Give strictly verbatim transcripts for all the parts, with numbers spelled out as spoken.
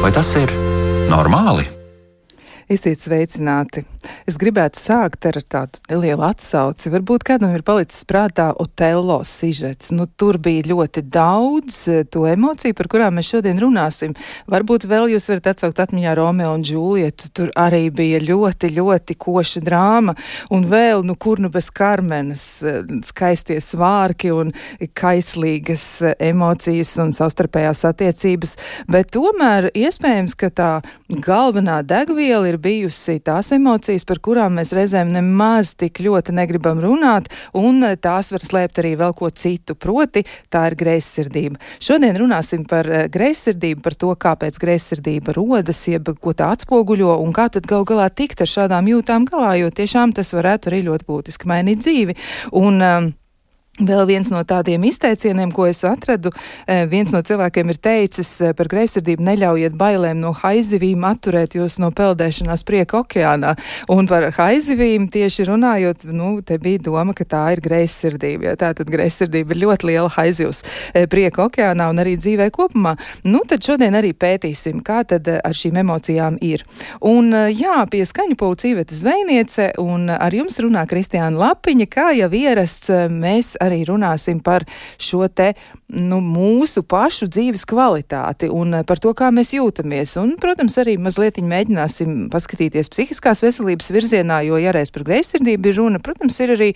Vai tas ir normāli? Esiet sveicināti. Es gribētu sākt ar tādu nelielu atsauci. Varbūt kādam ir palicis prātā Otello sižets. Nu, tur bija ļoti daudz to emociju, par kurām mēs šodien runāsim. Varbūt vēl jūs varat atsaukt atmiņā Romeo un Džulietu. Tur arī bija ļoti, ļoti koša drāma. Un vēl, nu, kur nu bez Karmenas, skaistie svārki un kaislīgas emocijas un savstarpējās attiecības. Bet tomēr iespējams, ka tā galvenā degviela ir bijusi tās emocijas, par kurām mēs reizēm nemaz tik ļoti negribam runāt, un tās var slēpt arī vēl ko citu, proti tā ir greizsirdība. Šodien runāsim par greizsirdību, par to, kāpēc greizsirdība rodas, jeb ko tā atspoguļo, un kā tad gal galā tikt ar šādām jūtām galā, jo tiešām tas varētu arī ļoti būtiski mainīt dzīvi. Un um, vēl viens no tādiem izteicieniem, ko es atradu, viens no cilvēkiem ir teicis par greizsirdību: neļaujiet bailēm no haizivīm atturēt jūs no peldēšanās prieka okeānā. Un par haizivīm tieši runājot, nu, te bija doma, ka tā ir greizsirdība. Ja, tātad greizsirdība ir ļoti liela haizivs prieka okeānā un arī dzīvē kopumā. Nu, tad šodien arī pētīsim, kā tad ar šīm emocijām ir. Un jā, pie skaņu pulca Iveta Zvejniece, un ar jums runā Kristiāna Lapiņa. Kā jau ierasts, mēs arī runāsim par šo te, nu, mūsu pašu dzīves kvalitāti un par to, kā mēs jūtamies. Un, protams, arī mazlietiņ mēģināsim paskatīties psihiskās veselības virzienā, jo, ja reiz par greizsirdību ir runa, protams, ir arī,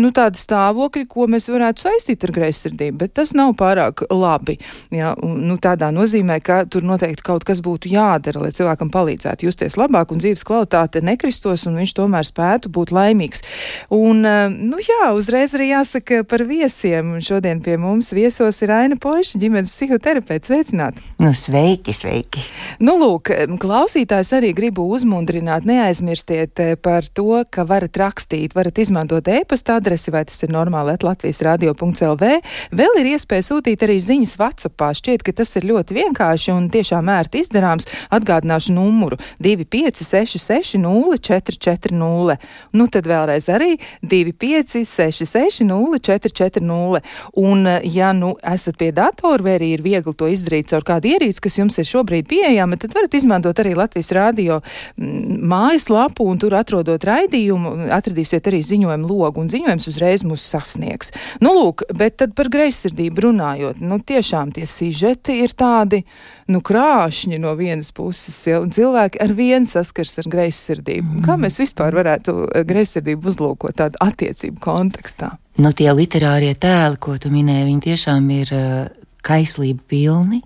nu, tādi stāvokļi, ko mēs varētu saistīt ar greizsirdību, bet tas nav pārāk labi. Jā, un, nu, tādā nozīmē, ka tur noteikti kaut kas būtu jādara, lai cilvēkam palīdzētu justies labāk un dzīves kvalitāte nekristos un viņš tomēr spētu būt laimīgs. Un, nu, jā, uzreiz arī jāsaka par viesiem. Šodien pie mums viesos ir Aina Poiša, ģimenes psihoterapeits. Sveicināti! Nu, sveiki, sveiki! Nu, lūk, klausītājs arī gribu uzmundrināt, neaizmirstiet par to, ka varat rakstīt, varat izmantot e-pasta adresi, vai tas ir normāli at latvijas radio punkts el vē. Vēl ir iespēja sūtīt arī ziņas WhatsAppā. Šķiet, ka tas ir ļoti vienkārši un tiešām ērti izdarāms. Atgādināšu numuru divi pieci seši seši nulle četri četri nulle. Nu, tad vēlreiz arī divi pieci seši seši nulle četri četri nulle. Un, ja nu esat pie datora, vai arī ir viegli to izdarīt caur kādu ierīci, kas jums ir šobrīd pieejama, tad varat izmantot arī Latvijas radio mājaslapu, un tur atrodot raidījumu, atradīsiet arī ziņojumu logu, un ziņojums uzreiz mūs sasniegs. Nu, lūk, bet tad par greizsirdību runājot, nu, tiešām tie sižeti ir tādi, nu, krāšņi no vienas puses, ja, un cilvēki ar vienu saskars ar greizsirdību. Kā mēs vispār varētu greizsirdību uzlūkot tādu attiecību kontekstā? Nu, tie literārie tēli, ko tu minēji, viņi tiešām ir uh, kaislība pilni,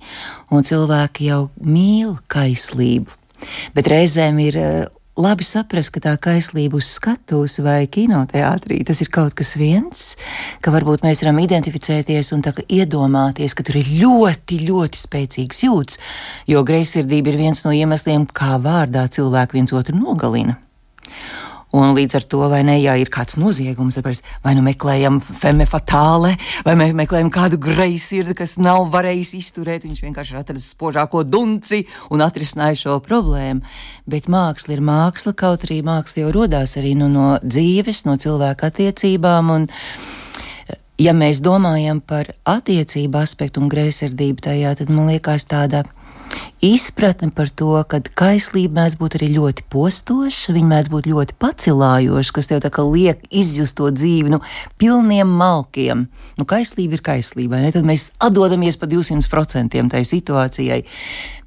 un cilvēki jau mīl kaislību. Bet reizēm ir uh, labi saprast, ka tā kaislība uz skatuves vai kinoteātrī, tas ir kaut kas viens, ka varbūt mēs varam identificēties un tā kā iedomāties, ka tur ir ļoti, ļoti spēcīgs jūtas, jo greizsirdība ir viens no iemesliem, kā vārdā cilvēki viens otru nogalina. Un līdz ar to, vai ne, ja ir kāds noziegums, vai nu meklējam femme fatale, vai me, meklējam kādu greizsirdi, kas nav varējis izturēt, viņš vienkārši ir atradis spožāko dunci un atrisināja šo problēmu. Bet māksla ir māksla, kaut arī māksla jau rodās arī nu, no dzīves, no cilvēka attiecībām, un ja mēs domājam par attiecību aspektu un greizsirdību tajā, tad man liekas tāda izpratne par to, ka kaislība mēdz būt arī ļoti postoša, viņa mēdz būt ļoti pacilājoša, kas tev tā kā liek izjust to dzīvi, nu, pilniem malkiem. Nu, kaislība ir kaislība, ne? Tad mēs atdodamies pa divsimt procentiem tai situācijai.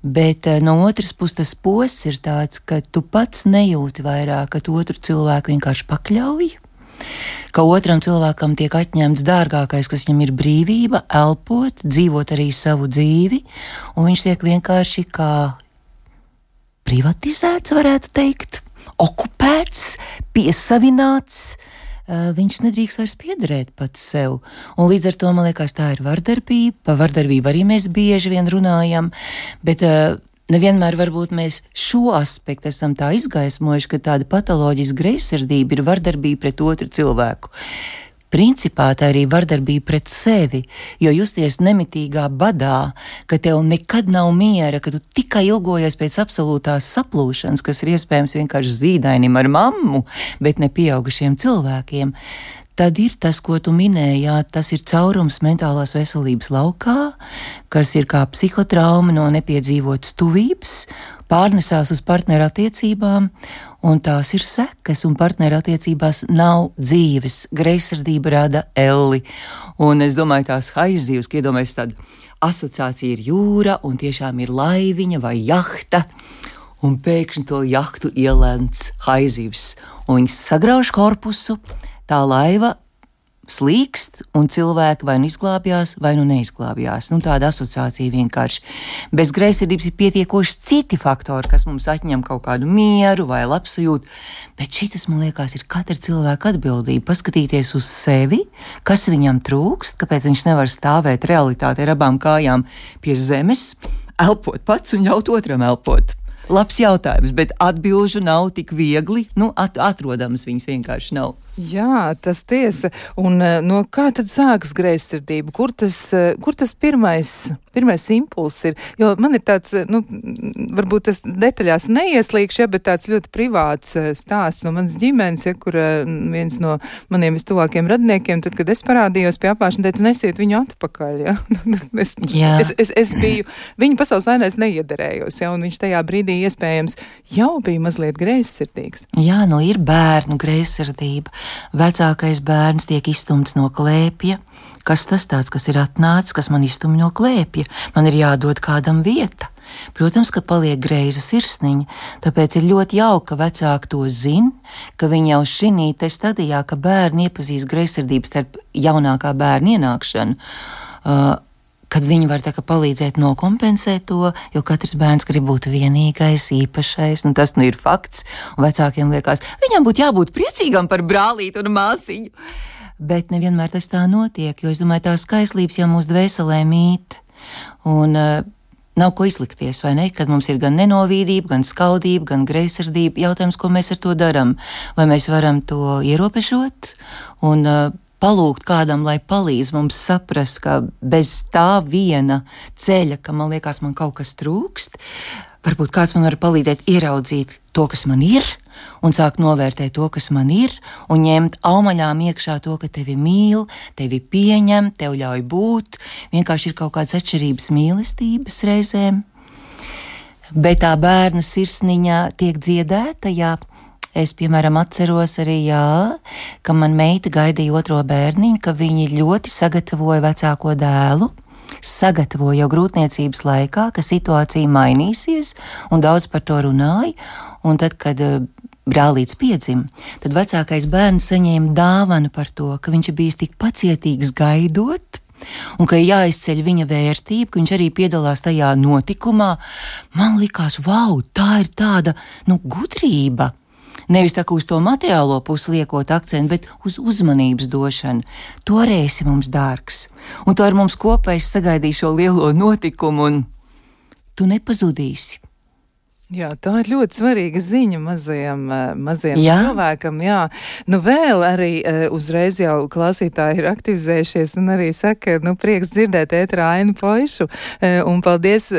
Bet no otras puses tas posts ir tāds, ka tu pats nejūti vairāk, ka tu otru cilvēku vienkārši pakļauj, ka otram cilvēkam tiek atņemts dārgākais, kas viņam ir brīvība, elpot, dzīvot arī savu dzīvi, un viņš tiek vienkārši kā privatizēts, varētu teikt, okupēts, piesavināts, viņš nedrīkst vairs piederēt pats sev. Un līdz ar to, man liekas, tā ir vardarbība, pa vardarbību arī mēs bieži vien runājam, bet nevienmēr varbūt mēs šo aspektu esam tā izgaismojuši, ka tāda patoloģiska greizsirdība ir vardarbība pret otru cilvēku. Principā tā arī vardarbība pret sevi, jo justies nemitīgā badā, ka tev nekad nav miera, ka tu tikai ilgojies pēc absolūtās saplūšanas, kas ir iespējams vienkārši zīdainim ar mammu, bet ne pieaugušiem cilvēkiem. tad ir tas, ko tu minēji, jā, tas ir caurums mentālās veselības laukā, kas ir kā psihotrauma no nepiedzīvotas tuvības, pārnesās uz partneru attiecībām, un tās ir sekas, un partneru attiecībās nav dzīves, greizsirdība rada elli, un es domāju tās haizdzīvas, ka iedomājas tāda asociācija ir jūra, un tiešām ir laiviņa vai jahta, un pēkšņi to jahtu ielēns haizdzīvs, un viņas sagrauž korpusu, tā laiva slīkst, un cilvēki vai nu izglābjās, vai nu neizglābjās. Nu, tāda asociācija vienkārši. Bez greizsirdības ir pietiekoši citi faktori, kas mums atņem kaut kādu mieru vai labsajūtu, bet šitas, man liekas, ir katra cilvēka atbildība. Paskatīties uz sevi, kas viņam trūkst, kāpēc viņš nevar stāvēt realitātē ar abām kājām pie zemes, elpot pats un ļaut otram elpot. Labs jautājums, bet atbilžu nav tik viegli, nu, at atrodams viņas vienkārši nav. Jā, tas tiesa. Un no kā tad sākas greizsirdība? Kur tas, kur tas pirmais, pirmais impulss ir? Jo man ir tāds, nu, varbūt tas detaļās neieslīgš, ja, bet tāds ļoti privāts stāsts no manas ģimenes, ja, kur viens no maniem vistuvākiem radiniekiem, tad, kad es parādījos pie apāšana, teica, nesiet viņu atpakaļ, ja. es, es, es, es biju, viņa pasaules ainēs neiederējos, ja, un viņš tajā brīdī iespējams jau bija mazliet greizsirdīgs. Jā, nu ir bērnu greizsirdība. Vecākais bērns tiek izstumts no klēpja. Kas tas tāds, kas ir atnācis, kas man izstumj no klēpja? Man ir jādod kādam vieta. Protams, ka paliek greiza sirsniņa, tāpēc ir ļoti jauka, ka vecāki to zina, ka viņi jau šinī te stadijā, ka bērni iepazīst greizsirdības starp jaunākā bērna ienākšanu, uh, kad viņi var tā kā palīdzēt nokompensēt to, jo katrs bērns grib būt vienīgais, īpašais, nu tas nu ir fakts, un vecākiem liekas, viņam būtu jābūt priecīgam par brālīti un māsiņu. Bet nevienmēr tas tā notiek, jo es domāju, tās skaislības jau mūsu dvēselē mīt, un uh, nav ko izlikties, vai ne, kad mums ir gan nenovīdība, gan skaudība, gan greizsirdība, jautājums, ko mēs ar to daram, vai mēs varam to ierobežot, un uh, palūgt kādam, lai palīdz mums saprast, ka bez tā viena ceļa, ka man liekas, man kaut kas trūkst, varbūt kāds man var palīdzēt ieraudzīt to, kas man ir, un sākt novērtēt to, kas man ir, un ņemt aumaļām iekšā to, ka tevi mīl, tevi pieņem, tev ļauj būt, vienkārši ir kaut kādas atšķirības mīlestības reizēm. Bet tā bērna sirsniņā tiek dziedēta, jā. Es, piemēram, atceros arī, jā, ka man meita gaidīja otro bērniņu, ka viņi ļoti sagatavoja vecāko dēlu, sagatavoja jau grūtniecības laikā, ka situācija mainīsies, un daudz par to runāja, un tad, kad uh, brālīts piedzima, tad vecākais bērns saņēma dāvanu par to, ka viņš ir bijis tik pacietīgs gaidot, un ka jāizceļ viņa vērtība, ka viņš arī piedalās tajā notikumā. Man likās, vau, tā ir tāda, nu, gudrība. Nevis tā kā uz to materiālo pusi liekot akcentu, bet uz uzmanības došanu. Tu arī esi mums dārgs, un tu ar mums kopēji sagaidīji šo lielo notikumu, un tu nepazudīsi. Jā, tā ir ļoti svarīga ziņa mazajam, mazajam jā. cilvēkam. Jā, nu vēl arī uzreiz jau klausītāji ir aktivizējušies un arī saka, nu prieks dzirdēt ētrā Ainu Poišu, un paldies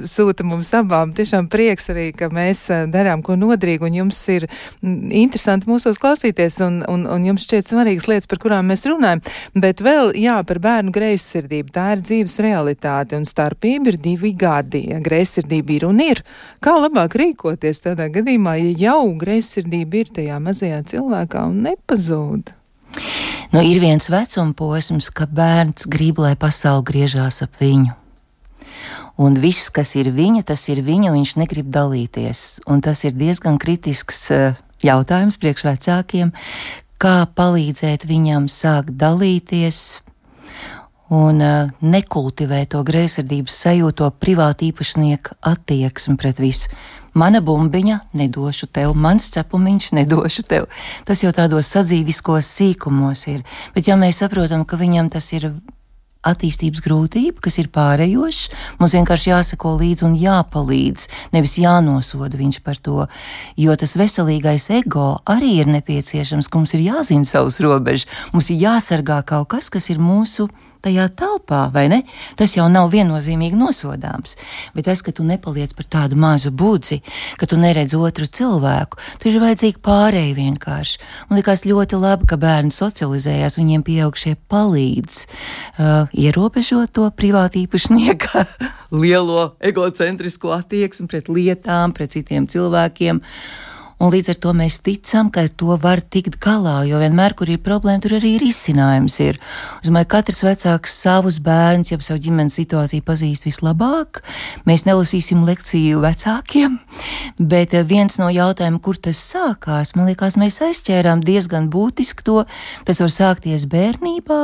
sūta mums abām. Tiešām prieks arī, ka mēs darām ko nodrīgi, un jums ir interesanti mūsos klausīties, un, un, un jums šķiet svarīgas lietas, par kurām mēs runājam. Bet vēl, jā, par bērnu greizsirdību. Tā ir dzīves realitāte, un starpība ir divi gadi. Ja greizsirdība ir un ir. Kā labāk rīkoties tādā gadījumā, ja jau greizsirdība ir tajā mazajā cilvēkā un nepazūd? Nu, ir viens vecuma posms, ka bērns grib, lai pasaule griežās ap viņu. Un viss, kas ir viņa, tas ir viņa, un viņš negrib dalīties. Un tas ir diezgan kritisks jautājums priekš vecākiem, kā palīdzēt viņam sākt dalīties un uh, nekultivē to greizsirdības sajūtu, to privātu īpašnieku attieksmi pret visu. Mana bumbiņa nedošu tev, mans cepumiņš nedošu tev. Tas jau tādos sadzīviskos sīkumos ir. Bet ja mēs saprotam, ka viņam tas ir attīstības grūtība, kas ir pārējošs, mums vienkārši jāsako līdzi un jāpalīdz, nevis jānosoda viņš par to, jo tas veselīgais ego arī ir nepieciešams, ka mums ir jāzina savas robežas, mums ir jāsargā kaut kas, kas ir mūsu tajā telpā, vai ne? Tas jau nav viennozīmīgi nosodāms. Bet tas, ka tu nepaliec par tādu mazu budzi, ka tu neredz otru cilvēku, tur ir vajadzīgi pārēji vienkārši. Man likās ļoti labi, ka bērni socializējās, viņiem pieaugšie palīdz uh, ierobežot to privātīpašnieka lielo egocentrisko attieksmi pret lietām, pret citiem cilvēkiem. Un līdz ar to mēs ticam, ka ar to var tikt galā, jo vienmēr, kur ir problēma, tur arī risinājums ir. Es domāju, katrs vecāks savus bērns, jau savu ģimenes situāciju pazīst vislabāk. Mēs nelasīsim lekciju vecākiem, bet viens no jautājumiem, kur tas sākās, man liekas, mēs aizķērām diezgan būtiski to. Tas var sākties bērnībā,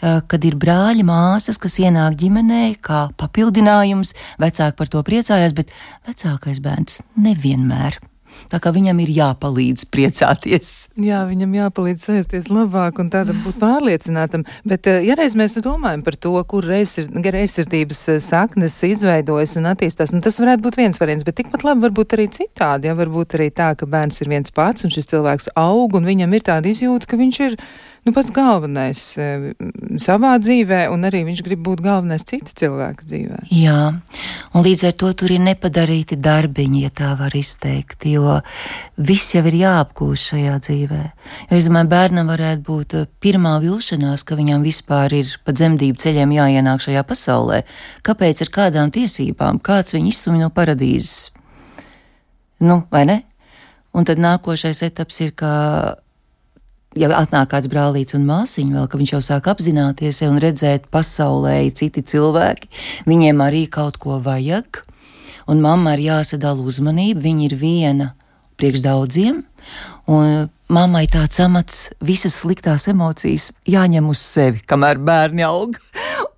kad ir brāļi, māsas, kas ienāk ģimenē kā papildinājums. Vecāki par to priecājās, bet vecākais bērns nevienmēr. Tā kā viņam ir jāpalīdz priecāties. Jā, viņam jāpalīdz sajusties labāk un tādam būt pārliecinātam. Bet, ja reiz mēs domājam par to, kur greizsirdības saknes izveidojas un attīstās, nu tas varētu būt viens variants, bet tikpat labi varbūt arī citādi. Ja varbūt arī tā, ka bērns ir viens pats un šis cilvēks aug un viņam ir tāda izjūta, ka viņš ir nu, pats galvenais e, savā dzīvē, un arī viņš grib būt galvenais cita cilvēka dzīvē. Jā, un līdz ar to tur ir nepadarīti darbiņi, ja tā var izteikt, jo viss jau ir jāapgūst šajā dzīvē. Jo, es domāju, bērnam varētu būt pirmā vilšanās, ka viņam vispār ir pa dzemdību ceļiem jāienāk šajā pasaulē. Kāpēc ar kādām tiesībām? Kāds viņu izstumj no paradīzes? Nu, vai ne? Un tad nākošais etaps ir, ka ja atnāk kāds brālīts un māsiņa vēl, ka viņš jau sāk apzināties un redzēt pasaulē citi cilvēki, viņiem arī kaut ko vajag, un mamma ir jāsadala uzmanība, viņa ir viena priekš daudziem, un mammai tāds amats, visas sliktās emocijas jāņem uz sevi, kamēr bērni aug,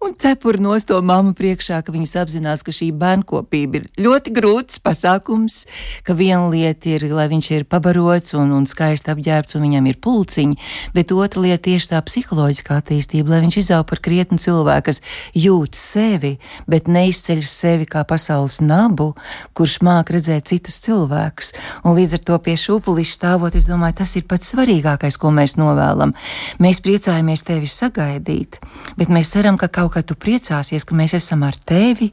un cepur nost to mammu priekšā, ka viņas apzinās, ka šī bērnkopība ir ļoti grūts pasākums, ka viena lieta ir, lai viņš ir pabarots un, un skaisti apģērbts un viņam ir pulciņi, bet otra lieta tieši tā psiholoģiskā attīstība, lai viņš izaug par krietnu cilvēku, kas jūt sevi, bet neizceļ sevi kā pasaules nabu, kurš māk redzēt citus cilvēkus. Un līdz ar to pie šūpuliša stāvot, es domāju, tas ir pats svarīgākais, ko mēs novēlam. Mēs priecājamies tevi sagaidīt, bet mēs ceram, ka kaut kā tu priecāsies, ka mēs esam ar tevi,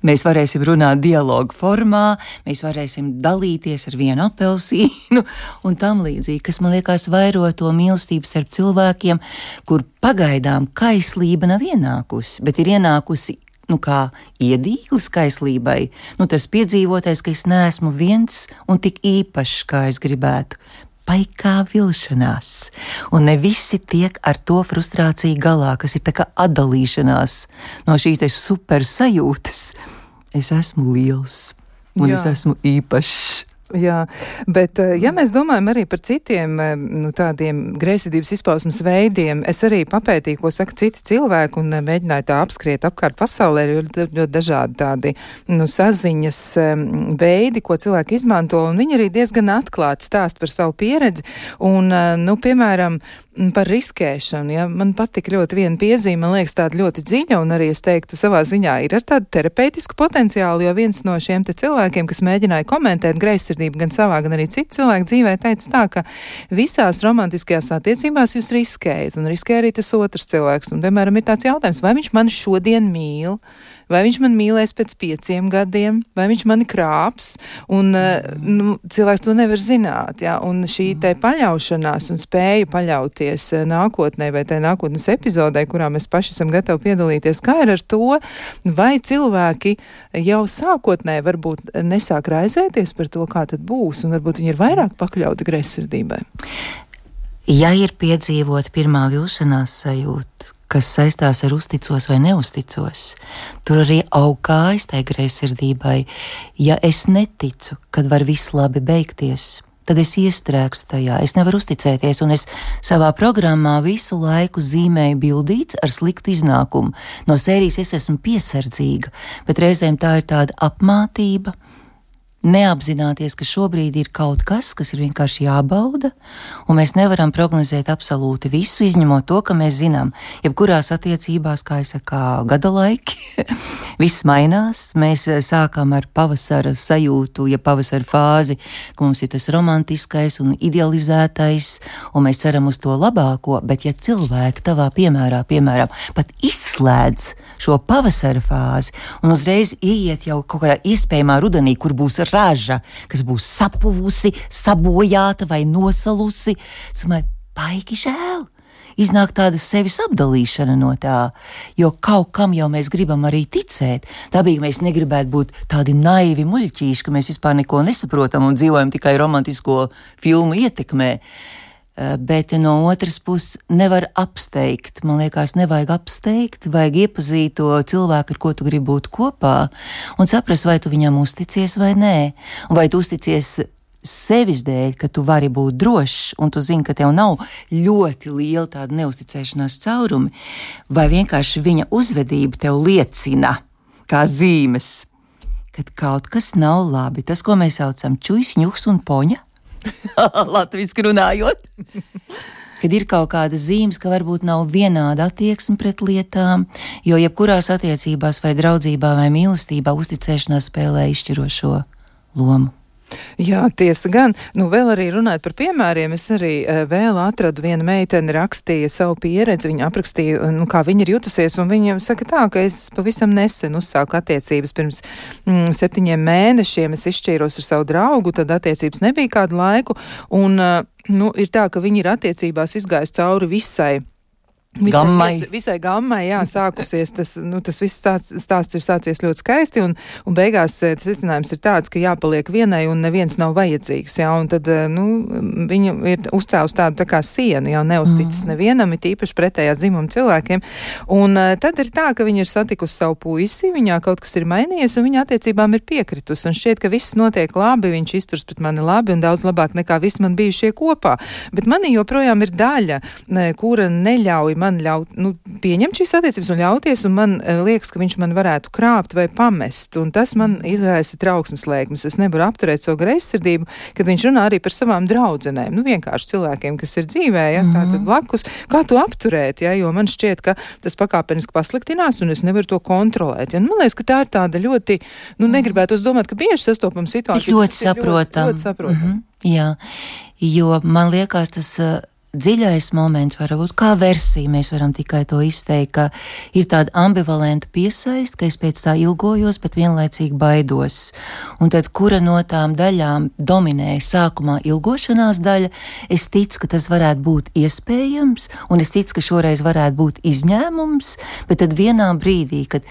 mēs varēsim runāt dialogu formā, mēs varēsim dalīties ar vienu apelsīnu un tam līdzīgi, kas man liekas vairo to mīlestību starp cilvēkiem, kur pagaidām kaislība nav ienākusi, bet ir ienākusi nu kā iedīglis kaislībai, nu tas piedzīvotais, ka es neesmu viens un tik īpašs, kā es gribētu. Paikā vilšanās, un ne visi tiek ar to frustrāciju galā, kas ir tā kā atdalīšanās no šīs te super sajūtas. Es esmu liels, un Jā. Es esmu īpašs. Jā, bet ja mēs domājam arī par citiem nu, tādiem greizsirdības izpausmes veidiem, es arī papētīju, ko saka citi cilvēki un mēģināju tā apskriet apkārt pasaulē, jo ir ļoti dažādi tādi nu, saziņas veidi, ko cilvēki izmanto, un viņi arī diezgan atklāti stāst par savu pieredzi, un, nu, piemēram, par riskēšanu. Ja? Man patika ļoti viena piezīme, man liekas tāda ļoti dziļa, un arī es teiktu savā ziņā ir ar tādu terapeitisku potenciālu, jo viens no šiem te cilvēkiem, kas mēģināja komentēt greizsirdību gan savā, gan arī citu cilvēku dzīvē, teica tā, ka visās romantiskajās attiecībās jūs riskējat, un riskē arī tas otrs cilvēks. Un, piemēram, ir tāds jautājums, vai viņš mani šodien mīl, vai viņš man mīlēs pēc pieciem gadiem, vai viņš mani krāps, un nu, cilvēks to nevar zināt, ja? Un šī te paļaušanās un spēja paļauties nākotnē vai tai nākotnes epizodē, kurā mēs paši esam gatavi piedalīties, kā ir ar to, vai cilvēki jau sākotnē varbūt nesāk raizēties par to, kā tad būs, un varbūt viņi ir vairāk pakļauti greizsirdībai. Ja ir piedzīvot pirmā vilšanās sajūta, kas saistās ar uzticos vai neuzticos, tur arī aug kājas tai greizsirdībai. Ja es neticu, kad var viss labi beigties, tad es iestrēgstu tajā, es nevaru uzticēties, un es savā programmā visu laiku zīmēju bildīts ar sliktu iznākumu. No sērijas es esmu piesardzīga, bet reizēm tā ir tāda apmātība. neapzināties, ka šobrīd ir kaut kas, kas ir vienkārši jābauda, un mēs nevaram prognozēt absolūti visu, izņemot to, ka mēs zinām, jebkurās attiecībās, kā es saku, gada laiki, viss mainās, mēs sākam ar pavasara sajūtu, ja pavasara fāzi, ka mums ir tas romantiskais un idealizētais, un mēs ceram uz to labāko, bet ja cilvēki tavā piemērā, piemēram, pat izslēdz šo pavasara fāzi un uzreiz ieiet jau kaut kādā iespējamā rudenī, kur būs raža, kas būs sapuvusi, sabojāta vai nosalusi, es domāju, baigi žēl. Iznāk tāda sevis apdalīšana no tā, jo kaut kam jau mēs gribam arī ticēt. Dabīgi mēs negribētu būt tādi naivi muļķīši, ka mēs vispār neko nesaprotam un dzīvojam tikai romantisko filmu ietekmē. Bet no otras puses nevar apsteigt, man liekas, nevajag apsteigt, vajag iepazīt to cilvēku, ar ko tu gribi būt kopā, un saprast, vai tu viņam uzticies vai nē, un vai tu uzticies sevis dēļ, ka tu vari būt drošs, un tu zini, ka tev nav ļoti liela tāda neusticēšanās caurumi, vai vienkārši viņa uzvedība tev liecina, kā zīmes, kad kaut kas nav labi, tas, ko mēs saucam čujs, ņuks un poņa, latviski runājot, kad ir kaut kāda zīmes, ka varbūt nav vienāda attieksme pret lietām, jo jebkurās attiecībās vai draudzībā vai mīlestībā uzticēšanās spēlē izšķirošo lomu. Jā, tiesa gan. Nu, vēl arī runājot par piemēriem, es arī uh, vēl atradu viena meitene rakstīja savu pieredzi, viņa aprakstīja, nu, kā viņa ir jutusies, un viņa saka tā, ka es pavisam nesen uzsāku attiecības pirms mm, septiņiem mēnešiem, es izšķīros ar savu draugu, tad attiecības nebija kādu laiku, un, uh, nu, ir tā, ka viņi ir attiecībās izgājusi cauri visai Visai, gammai. visai gammai, jā, sākusies, tas, nu, tas viss stāsts, stāsts ir sācies ļoti skaisti, un, un beigās secinājums ir tāds, ka jāpaliek vienai, un neviens nav vajadzīgs, jā, un tad, nu, viņa ir uzcēlus tādu tā kā sienu, jā, neusticis mm. nevienam, ir īpaši pretējā dzimuma cilvēkiem, un tad ir tā, ka viņa ir satikusi savu puisi, viņā kaut kas ir mainījies, un viņa attiecībām ir piekritus, un šķiet, ka viss notiek labi, viņš izturs pret mani labi, un daudz labāk nekā visi man bijušie kopā, bet manī joprojām ir daļa, kura neļauj man ļaut, nu, pieņemt šīs attiecības un ļauties, un man uh, liekas, ka viņš man varētu krāpt vai pamest, un tas man izraisa trauksmes lēkmes. Es nevaru apturēt savu greizsirdību, kad viņš runā arī par savām draudzenēm, nu, vienkārši cilvēkiem, kas ir dzīvē, ja, mm-hmm. tātad blakus, kā to apturēt, ja, jo man šķiet, ka tas pakāpeniski pasliktinās, un es nevaru to kontrolēt, ja, un man liekas, ka tā ir tāda ļoti, nu, negribētu uz domāt, ka bieži sastopam situāciju. Ļoti saprotam. Ļoti, ļoti saprotam. Mm-hmm. Jā, jo man liekas, tas uh, dziļais moments var būt kā versija, mēs varam tikai to izteikt, ka ir tāda ambivalenta piesaist, ka es pēc tā ilgojos, bet vienlaicīgi baidos. Un tad, kura no tām daļām dominēja sākumā ilgošanās daļa, es ticu, ka tas varētu būt iespējams, un es ticu, ka šoreiz varētu būt izņēmums, bet tad vienā brīdī, kad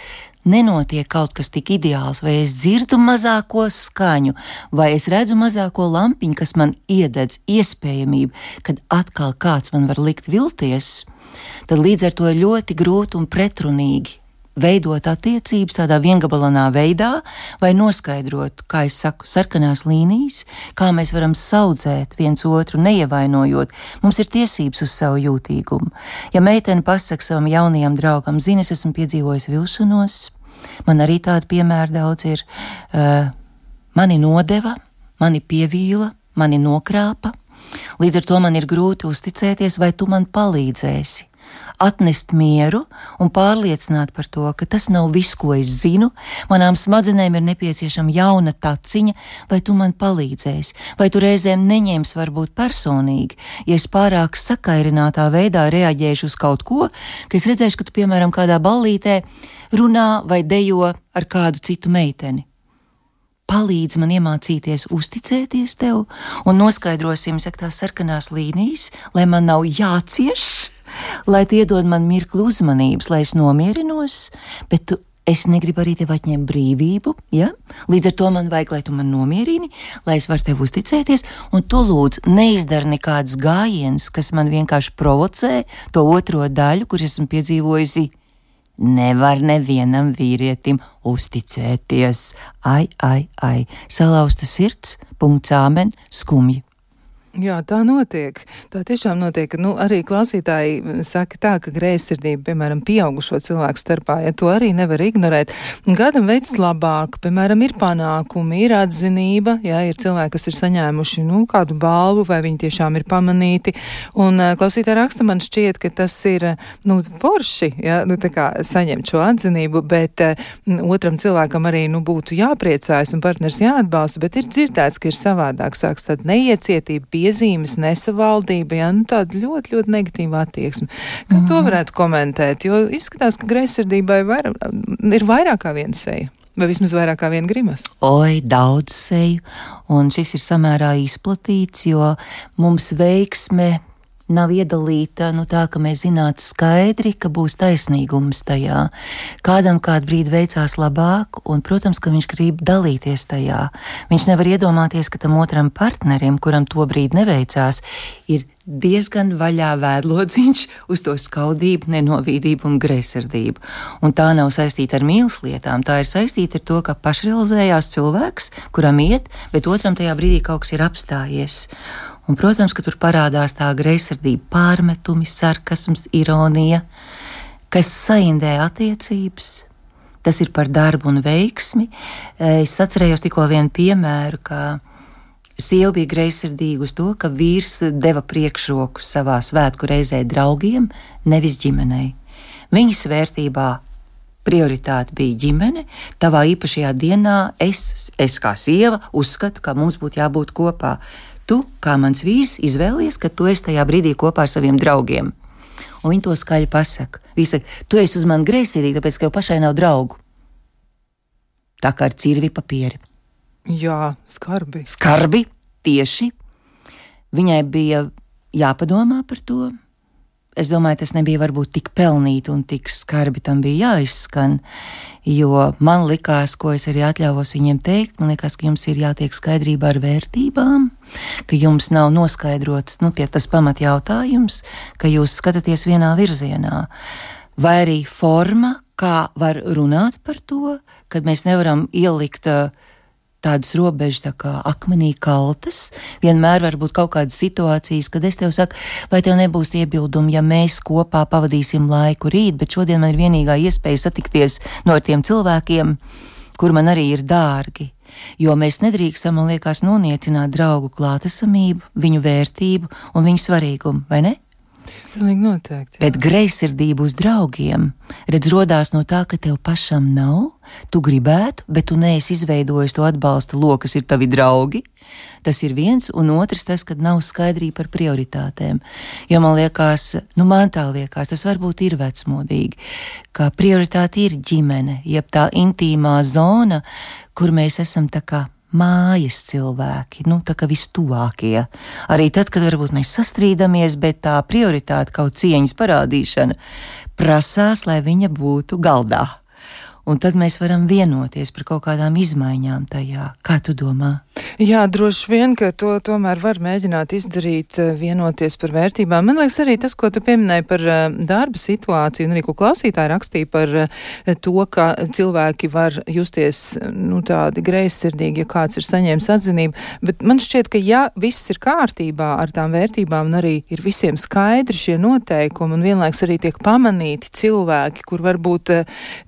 nenotiek kaut kas tik ideāls, vai es dzirdu mazāko skaņu, vai es redzu mazāko lampiņu, kas man iededz iespējamību, kad atkal kāds man var likt vilties, tad līdz ar to ļoti grūti un pretrunīgi veidot attiecības tādā viengabalanā veidā, vai noskaidrot, kā es saku, sarkanās līnijas, kā mēs varam saudzēt viens otru, neievainojot. Mums ir tiesības uz savu jūtīgumu. Ja meitene pasaka savam jaunajam draugam, zini, es esmu piedzīvojis vilšanos, man arī tādi piemēri daudz ir, uh, mani nodeva, mani pievīla, mani nokrāpa, līdz ar to man ir grūti uzticēties, vai tu man palīdzēsi atnest mieru un pārliecināt par to, ka tas nav viss, ko es zinu, manām smadzenēm ir nepieciešama jauna taciņa, vai tu man palīdzēsi, vai tu reizēm neņems varbūt personīgi, ja es pārāk sakairinātā veidā reaģēšu uz kaut ko, ka es redzēšu, ka tu, piemēram, kādā ballītē runā vai dejo ar kādu citu meiteni. Palīdz man iemācīties uzticēties tev un noskaidrosim, saka, tās sarkanās līnijas, lai man nav jācieš, lai tu iedod man mirkli uzmanības, lai es nomierinos, bet tu, es negribu arī tev atņemt brīvību, ja? Līdz ar to man vajag, lai tu man nomierini, lai es varu tev uzticēties, un tu lūdzu neizdari nekādus gājienus, kas man vienkārši provocē to otro daļu, kur esmu piedzīvojusi. Nevar nevienam vīrietim uzticēties. Ai, ai, ai, salauzta sirds, punkts āmen, skumji. Jā, tā notiek. Tā tiešām notiek. Nu, arī klausītāji saka tā, ka greizsirdība, piemēram, pieaugušo cilvēku starpā, ja to arī nevar ignorēt. Gadam veids labāk, piemēram, ir panākumi, ir atzinība, ja ir cilvēki, kas ir saņēmuši, nu, kādu balvu, vai viņi tiešām ir pamanīti. Un klausītāji raksta, man šķiet, ka tas ir, nu, forši, ja, nu, tā kā saņemt šo atzinību, bet m, otram cilvēkam arī, nu, būtu jāpriecājas un partners jāatbalsta, bet ir dzirdēts, ka ir savādāk, sāks tāda neiecietība, piezīmes, nesavaldība, jā, nu tāda ļoti, ļoti negatīva attieksme. Kā mm. to varētu komentēt? Jo izskatās, ka greizsirdībai vair, ir vairāk kā viena seja. Vai vismaz vairāk kā viena grimas? Oi, daudz seju. Un šis ir samērā izplatīts, jo mums veiksme nav iedalīta, nu tā, ka mēs zinātu skaidri, ka būs taisnīgums tajā. Kādam kādu brīdi veicās labāk, un, protams, ka viņš grib dalīties tajā. Viņš nevar iedomāties, ka tam otram partnerim, kuram to brīdi neveicās, ir diezgan vaļā vēdlodziņš uz to skaudību, nenovīdību un greizsirdību. Un tā nav saistīta ar mīlas lietām, tā ir saistīta ar to, ka pašrealizējās cilvēks, kuram iet, bet otram tajā brīdī kaut kas ir apstājies. Un, protams, ka tur parādās tā greizsirdība, pārmetumi, sarkasms, ironija, kas saindē attiecības. Tas ir par darbu un veiksmi. Es atcerējos tikko vienu piemēru, ka sieva bija greizsirdīga uz to, ka vīrs deva priekšroku savā svētku reizē draugiem, nevis ģimenei. Viņas vērtībā prioritāte bija ģimene. Tavā īpašajā dienā es, es kā sieva, uzskatu, ka mums būtu jābūt kopā. Tu, kā mans vīrs, izvēlies, ka tu esi tajā brīdī kopā ar saviem draugiem. Un viņi to skaļi pasaka. Viņi saka, tu esi uz mani greizsirdīgi, tāpēc, ka jau pašai nav draugu. Tā kā ar cirvi papieri. Jā, skarbi. Skarbi, tieši. Viņai bija jāpadomā par to. Es domāju, tas nebija varbūt tik pelnīti un tik skarbi tam bija jāizskan, jo man likās, ko es arī atļāvos viņiem teikt, man likās, ka jums ir jātiek skaidrībā ar vērtībām, ka jums nav noskaidrots, nu, tie tas pamatjautājums, ka jūs skatāties vienā virzienā. Vai arī forma, kā var runāt par to, kad mēs nevaram ielikt uh, tādas robežas tā kā akmenī kaltas. Vienmēr var būt kaut kādas situācijas, kad es tev saku, vai tev nebūs iebildumi, ja mēs kopā pavadīsim laiku rīt, bet šodien man ir vienīgā iespēja satikties no tiem cilvēkiem, kur man arī ir dārgi. Jo mēs nedrīkstam, man liekas, noniecināt draugu klātesamību, viņu vērtību un viņu svarīgumu, vai ne? Pilnīgi noteikti. Jā. Bet greizsirdība uz draugiem, redz, rodās no tā, ka tev pašam nav, tu gribētu, bet tu neesi izveidojis to atbalsta loku, kas ir tavi draugi. Tas ir viens, un otrs tas, kad nav skaidrība par prioritātēm. Jo man liekas, nu man tā liekas, tas varbūt ir vecmodīgi, ka prioritāte ir ģimene, jeb tā intīmā zona, kur mēs esam tā kā mājas cilvēki, nu tā kā vistuvākie. Arī tad, kad varbūt mēs sastrīdamies, bet tā prioritāte kaut cieņas parādīšana prasās, lai viņa būtu galdā. Un tad mēs varam vienoties par kaut kādām izmaiņām tajā. Kā tu domā? Jā, droši vien, ka to tomēr var mēģināt izdarīt, vienoties par vērtībām. Man liekas arī tas, ko tu pieminēji par darba situāciju, un arī ko klausītāji rakstīja par to, ka cilvēki var justies, nu, tādi greizsirdīgi, ja kāds ir saņēmis atzinību. Bet man šķiet, ka ja viss ir kārtībā ar tām vērtībām, un arī ir visiem skaidri šie noteikumi, un vienlaiks arī tiek pamanīti cilvēki, kur varbūt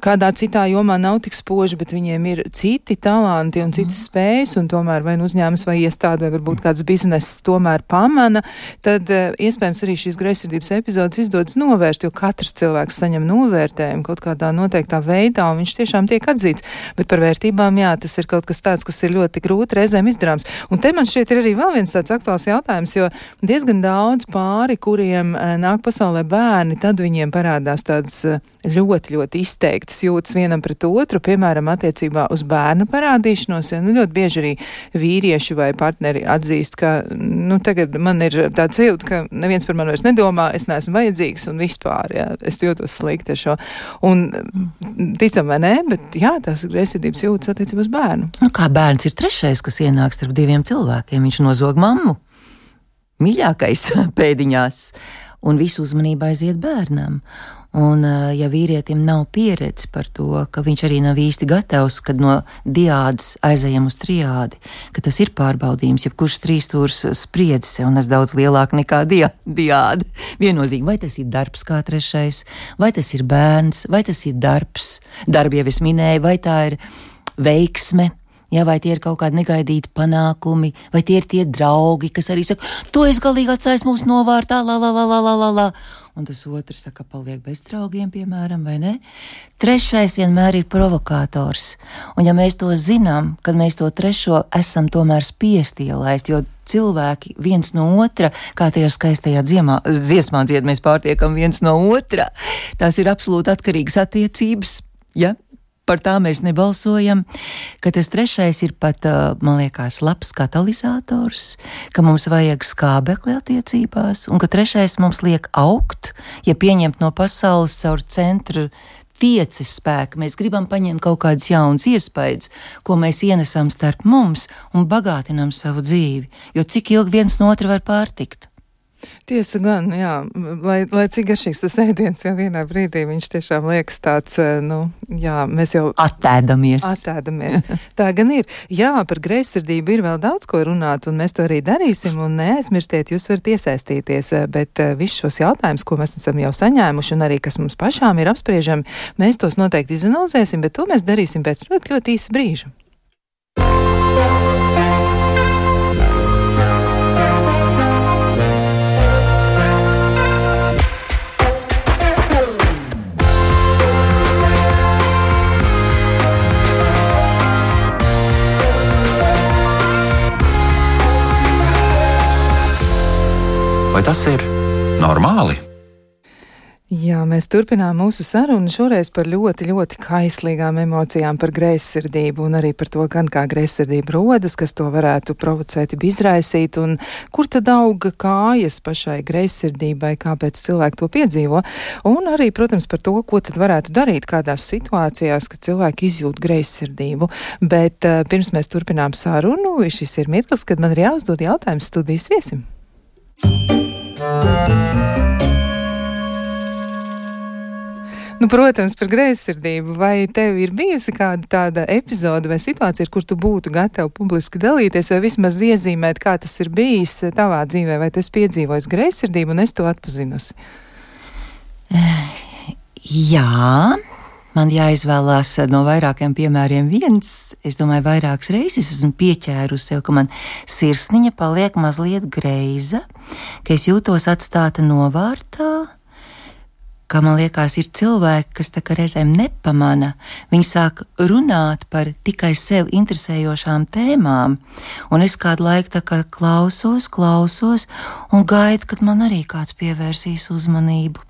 kādā citā jomā nav tik spoži, bet viņiem ir citi talanti un citas mm. spējas, un tomēr vai nu uzņēmums vai iestāde, vai varbūt kāds bizness tomēr pamana, tad uh, iespējams arī šīs greizsirdības epizodes izdodas novērst, jo katrs cilvēks saņem novērtējumu kaut kādā noteiktā veidā, un viņš tiešām tiek atzīts. Bet par vērtībām, jā, tas ir kaut kas tāds, kas ir ļoti grūti reizēm izdarāms. Un te man šķiet ir arī vēl viens tāds aktuāls jautājums, jo diezgan daudz pāri, kuriem uh, nāk pasaulē bērni, tad viņiem parādās tādas uh, ļoti, ļoti izteiktas jūtas vienam pret otru, piemēram, attiecībā uz bērnu parādīšanos, ja nu ļoti bieži arī vīrieši vai partneri atzīst, ka, nu, tagad man ir tāds jūta, ka neviens par mani vairs nedomā, es neesmu vajadzīgs un vispār, jā, es jūtos slikti ar šo. Un ticam vai nē, bet jā, tās greizsirdības jūtas attiecībā uz bērnu. Nu, kā bērns ir trešais, kas ienāk starp diviem cilvēkiem, viņš nozog mammu, mīļākais pēdiņās, un visu uzmanību aiziet bērnam. Un, ja vīrietim nav pieredze par to, ka viņš arī nav īsti gatavs, kad no diādes aizejam uz triādi, ka tas ir pārbaudījums, ja kurš trīstūrs spriedzi sev nes daudz lielāk nekā dia, diāde. Viennozīmīgi, vai tas ir darbs kā trešais, vai tas ir bērns, vai tas ir darbs, darbi jau es minēju, vai tā ir veiksme. Jā, vai tie ir kaut kādi negaidīti panākumi, vai tie ir tie draugi, kas arī saka, tu esi galīgi atstājis mūsu novārtā, la, la, la, la, la, la, la. Un tas otrs saka, paliek bez draugiem, piemēram, vai ne? Trešais vienmēr ir provokators. Un ja mēs to zinām, kad mēs to trešo esam tomēr spiesti ielaist, jo cilvēki viens no otra, kā tajā skaistajā dziemā, dziesmā dzied, mēs pārtiekam viens no otra, tās ir absolūti atkarīgas attiecības, ja? Par tā mēs nebalsojam, ka tas trešais ir pat, man liekas, labs katalizators, ka mums vajag skābekli attiecībās, un ka trešais mums liek augt, ja pieņemt no pasaules caur centru tieces spēku. Mēs gribam paņemt kaut kādas jaunas iespējas, ko mēs ienesam starp mums un bagātinam savu dzīvi, jo cik ilgi viens no otra var pārtikt. Tiesa gan, jā, lai, lai cik garšīgs tas ēdiens, jau vienā brīdī viņš tiešām liekas tāds, nu, jā, mēs jau Attēdamies. Attēdamies. Tā gan ir. Jā, par greizsirdību ir vēl daudz ko runāt, un mēs to arī darīsim, un neaizmirstiet, jūs varat iesaistīties, bet visus šos jautājumus, ko mēs esam jau saņēmuši, un arī kas mums pašām ir apspriežami, mēs tos noteikti izanalizēsim, bet to mēs darīsim pēc ļoti, ļoti īsa brīža. Vai tas ir normāli? Jā, mēs turpinām mūsu sarunu šoreiz par ļoti, ļoti kaislīgām emocijām, par greizsirdību un arī par to, gan kā greizsirdība rodas, kas to varētu provocēt, izraisīt, un kur tad auga kājas pašai greizsirdībai, kāpēc cilvēki to piedzīvo, un arī, protams, par to, ko tad varētu darīt kādās situācijās, kad cilvēki izjūt greizsirdību. Bet uh, pirms mēs turpinām sarunu, šis ir mirklis, kad man ir jāuzdod jautājums studijas viesim. Nu, protams, par greizsirdību. Vai tev ir bijusi kāda tāda epizode vai situācija, ar kur tu būtu gatava publiski dalīties, vai vismaz iezīmēt, kā tas ir bijis tavā dzīvē, vai tu esi piedzīvojis greizsirdību un es to atpazinusi? Jā, man jāizvēlās no vairākiem piemēriem viens. Es domāju, vairākas reizes esmu pieķērusi sev, ka man sirsniņa paliek mazliet greiza, ka es jūtos atstāta novārtā, ka man liekas, ir cilvēki, kas tā kā reizēm nepamana. Viņi sāk runāt par tikai sev interesējošām tēmām, un es kādu laiku tā kā klausos, klausos un gaidu, kad man arī kāds pievērsīs uzmanību.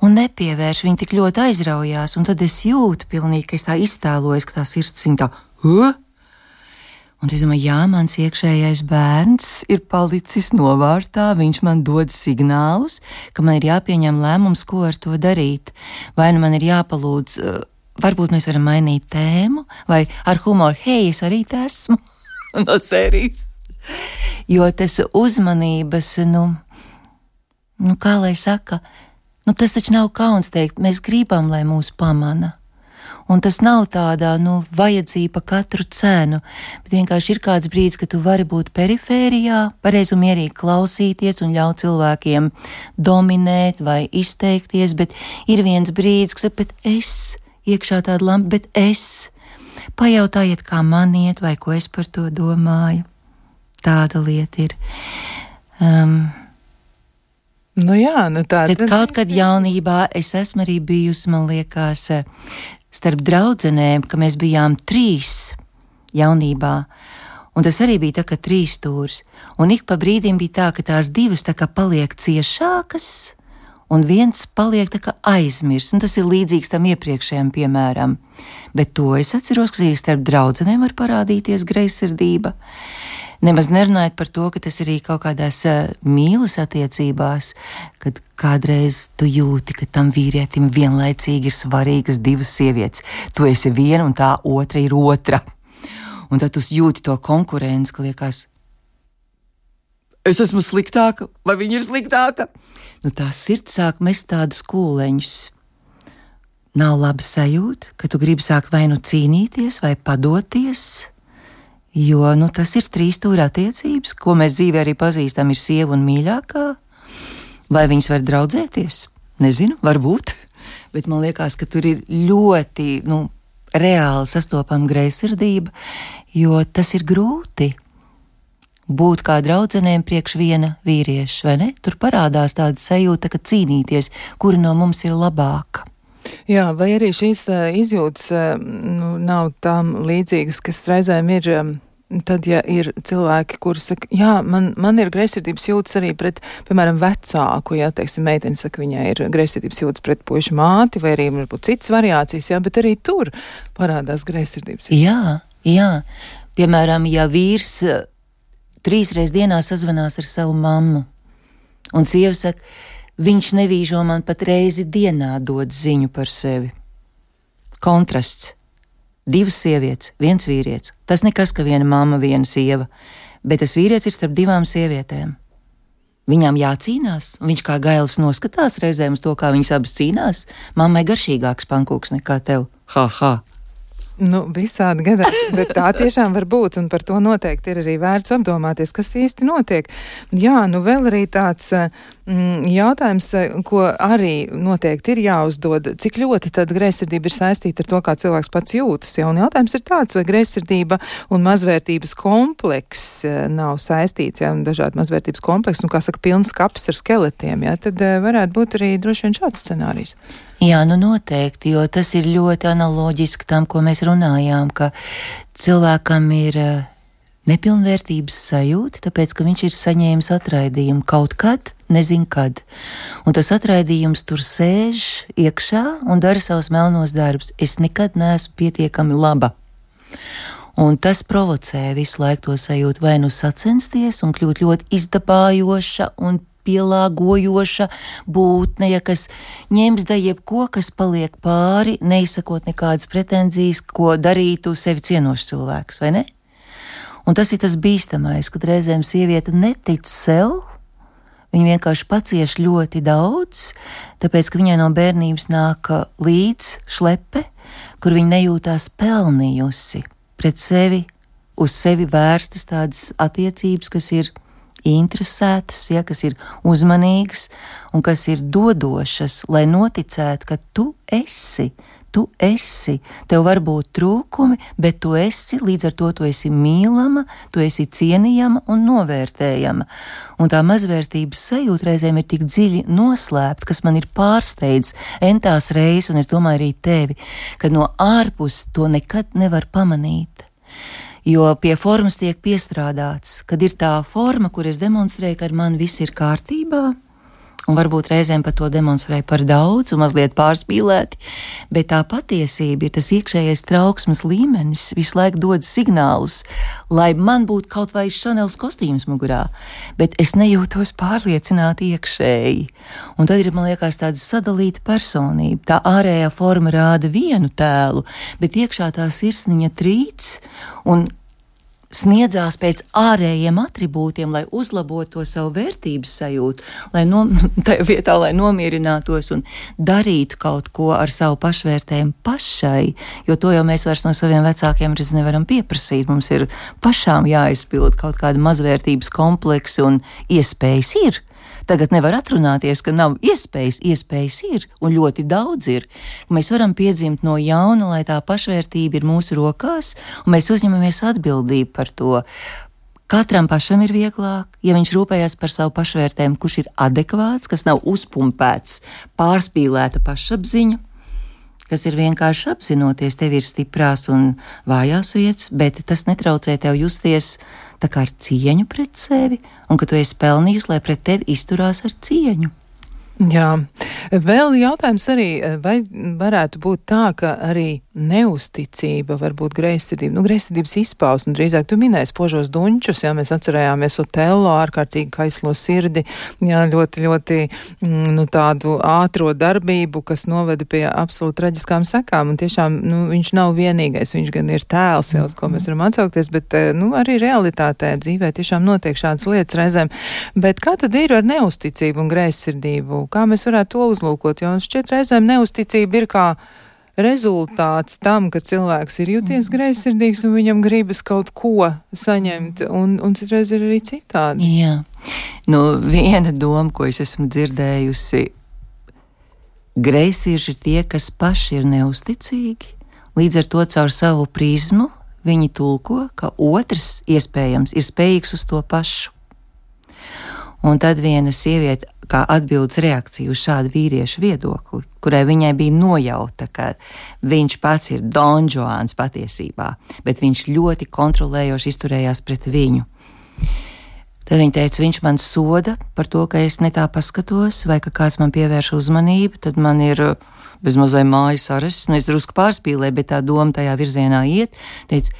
Un nepievērš, viņi tik ļoti aizraujās, un tad es jūtu pilnīgi, ka es tā iztēlojos, ka tā sirdsciņa tā, uh? Un es domāju, jā, mans iekšējais bērns ir palicis novārtā, viņš man dod signālus, ka man ir jāpieņem lēmums, ko ar to darīt. Vai nu man ir jāpalūdz, uh, varbūt mēs varam mainīt tēmu, vai ar humoru, hei, es arī te esmu, no sērijas. Jo tas uzmanības, nu, nu kā lai saka, nu, tas taču nav kauns teikt, mēs gribam, lai mūs pamana. Un tas nav tādā, nu, vajadzība katru cenu, bet vienkārši ir kāds brīdis, ka tu vari būt perifērijā, pareizi un mierīgi klausīties un ļaut cilvēkiem dominēt vai izteikties, bet ir viens brīdis, kas ir, bet es, iekšā tāda lampa, bet es, pajautājiet, kā man iet vai ko es par to domāju. Tāda lieta ir. Um, Nu jā, nu tā. Tad kaut kad jaunībā es esmu arī bijusi, man liekas, starp draudzenēm, ka mēs bijām trīs jaunībā, un tas arī bija tā kā trīs stūrs, un ik pa brīdim bija tā, ka tās divas tā kā paliek ciešākas, un viens paliek tā kā aizmirst, un tas ir līdzīgs tam iepriekšējam piemēram. Bet to es atceros, ka arī starp draudzenēm var parādīties greizsirdība. Nemaz nerunājot par to, ka tas arī kaut kādās uh, mīlas attiecībās, kad kādreiz tu jūti, ka tam vīrietim vienlaicīgi ir svarīgas divas sievietes. Tu esi viena un tā otra ir otra. Un tad tu jūti to konkurenci, ka liekas, es esmu sliktāka vai viņa ir sliktāka. nu tā sirds sāk mest tādus kūleņus. Nav laba sajūta, ka tu gribi sākt vai nu cīnīties, vai padoties, jo nu, tas ir trīs stūra attiecības, ko mēs dzīvē arī pazīstam, ir sieva un mīļākā. Vai viņas var draudzēties? Nezinu, varbūt, bet man liekas, ka tur ir ļoti nu, reāli sastopama greizsirdība, jo tas ir grūti būt kā draudzenēm priekš viena vīrieša, vai ne? Tur parādās tāda sajūta, ka cīnīties, kuri no mums ir labāka. Jā, vai arī šīs uh, izjūtas uh, nu, nav tām līdzīgas, kas reizēm ir, um, tad, ja ir cilvēki, kuri saka, jā, man, man ir greizsirdības jūtas arī pret, piemēram, vecāku, jā, teiksim, meiteni saka, viņai ir greizsirdības jūtas pret puišu māti, vai arī varbūt citas variācijas, jā, bet arī tur parādās greizsirdības jūtas. Jā, jā. Piemēram, ja vīrs uh, trīsreiz dienā sazvanās ar savu mammu, un sieva saka, viņš nevīžo man pat reizi dienā dod ziņu par sevi. Kontrasts. Divas sievietes, viens vīrietis. Tas nekas, ka viena mamma, viena sieva, bet tas vīrietis ir starp divām sievietēm. Viņām jācīnās, un viņš kā gailis noskatās reizēm uz to, kā viņas abas cīnās. Mammai garšīgāks pankūks nekā tev. Ha, ha. Nu, visādi gadās, bet tā tiešām var būt, un par to noteikti ir arī vērts apdomāties, kas īsti notiek. Jā, nu vēl arī tāds mm, jautājums, ko arī noteikti ir jāuzdod, cik ļoti tad greizsirdība ir saistīta ar to, kā cilvēks pats jūtas. Ja? Un jautājums ir tāds, vai greizsirdība un mazvērtības kompleks nav saistīts, ja? Un dažādi mazvērtības kompleks, un kā saka, pilns kaps ar skeletiem, ja? Tad varētu būt arī droši vien šāds scenārijs. Jā, nu noteikti, jo tas ir ļoti analoģiski tam, ko mēs runājām, ka cilvēkam ir nepilnvērtības sajūta, tāpēc, ka viņš ir saņēmis atraidījumu kaut kad, nezin kad. Un tas atraidījums tur sēž iekšā un dara savus melnos darbus. Es nekad neesmu pietiekami laba. Un tas provocē visu laiku to sajūtu vai nu sacensties un kļūt ļoti izdabājoša un pielāgojoša būtne, ja kas ņems da jebko, kas paliek pāri, neizsakot nekādas pretenzijas, ko darītu sevi cienošs cilvēks, vai ne? Un tas ir tas bīstamais, kad reizēm sieviete netic sev, viņa vienkārši pacieš ļoti daudz, tāpēc, ka viņai no bērnības nāk līdz šlepe, kur viņa nejūtās pelnījusi pret sevi, uz sevi vērstas tādas attiecības, kas ir interesētas, ja, kas ir uzmanīgas un kas ir dodošas, lai noticētu, ka tu esi, tu esi, tev var būt trūkumi, bet tu esi, līdz ar to tu esi mīlama, tu esi cienījama un novērtējama. Un tā mazvērtības sajūta reizēm ir tik dziļi noslēpta, kas man ir pārsteidz entās reizes, un es domāju arī tevi, ka no ārpus to nekad nevar pamanīt. Jo pie formas tiek piestrādāts, kad ir tā forma, kur es demonstrēju, ka ar mani viss ir kārtībā, un varbūt reizēm par to demonstrēju par daudz un mazliet pārspīlēti, bet tā patiesība ir tas iekšējais trauksmes līmenis, visu laiku dod signālus, lai man būtu kaut vai Chanels kostīms mugurā, bet es nejūtos pārliecināti iekšēji. Un tad ir, man liekas, tāda sadalīta personība. Tā ārējā forma rāda vienu tēlu, bet iekšā tā sirsniņa trīc un sniedzās pēc ārējiem atribūtiem, lai uzlabotu to savu vērtības sajūtu, lai no, tajā vietā, lai nomierinātos un darītu kaut ko ar savu pašvērtējumu pašai, jo to jau mēs vairs no saviem vecākiem redz nevaram pieprasīt. Mums ir pašām jāizpild kaut kāda mazvērtības kompleksa un iespējas ir. Tagad nevar atrunāties, ka nav iespējas, iespējas ir, un ļoti daudz ir. Mēs varam piedzimt no jauna, lai tā pašvērtība ir mūsu rokās, un mēs uzņemamies atbildību par to. Katram pašam ir vieglāk, ja viņš rūpējas par savu pašvērtējumu, kurš ir adekvāts, kas nav uzpumpēts, pārspīlēta pašapziņa, kas ir vienkārši apzinoties, tev ir stiprās un vājās vietas, bet tas netraucē tev justies tā kā ar cieņu pret sevi, un ka tu esi pelnījusi, lai pret tevi izturās ar cieņu. Jā, vēl jautājums arī, vai varētu būt tā, ka arī neusticība, varbūt greizsirdība, nu, greizsirdības izpausme, drīzāk tu minēji spožos duņķus, jā, mēs atcerējāmies Otello, ārkārtīgi kaislo sirdi, jā, ļoti, ļoti, nu, tādu ātro darbību, kas noveda pie absolūti traģiskām sekām, un tiešām, nu, viņš nav vienīgais, viņš gan ir tēls, jau, uz ko mēs varam atsaukties, bet, nu, arī realitātē dzīvē tiešām notiek šādas lietas reizēm, bet kā tad ir ar neusticību un greizsirdību? Kā mēs varētu to uzlūkot, jo šķiet reizēm neusticība ir kā rezultāts tam, ka cilvēks ir jūties greizsirdīgs un viņam gribas kaut ko saņemt, un, un citreiz ir arī citādi. Jā, nu viena doma, ko es esmu dzirdējusi, greizsirži ir tie, kas paši ir neusticīgi, līdz ar to caur savu prizmu viņi tulko, ka otrs iespējams ir spējīgs uz to pašu. Un tad viena sieviete, kā atbildes reakcija uz šādu vīriešu viedokli, kurai viņai bija nojauta, ka viņš pats ir Don Juans patiesībā, bet viņš ļoti kontrolējoši izturējās pret viņu. Tad viņa teica, viņš man soda par to, ka es ne tā paskatos, vai ka kāds man pievērš uzmanību, tad man ir bezmazai mājas arests, nu es drusku pārspīlēju, bet tā doma tajā virzienā iet, teica,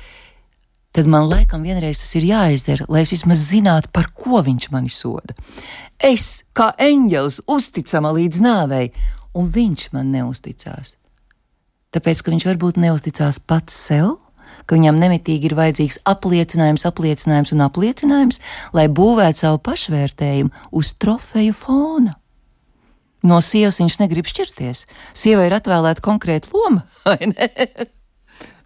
tad man laikam vienreiz tas ir jāizdara, lai es vismaz zinātu, par ko viņš mani soda. Es, kā eņģelis, uzticama līdz nāvei, un viņš man neusticās. Tāpēc, ka viņš varbūt neusticās pats sev, ka viņam nemitīgi ir vajadzīgs apliecinājums, apliecinājums un apliecinājums, lai būvētu savu pašvērtējumu uz trofeju fona. No sievas viņš negrib šķirties. Sievai ir atvēlēta konkrēta loma, vai ne?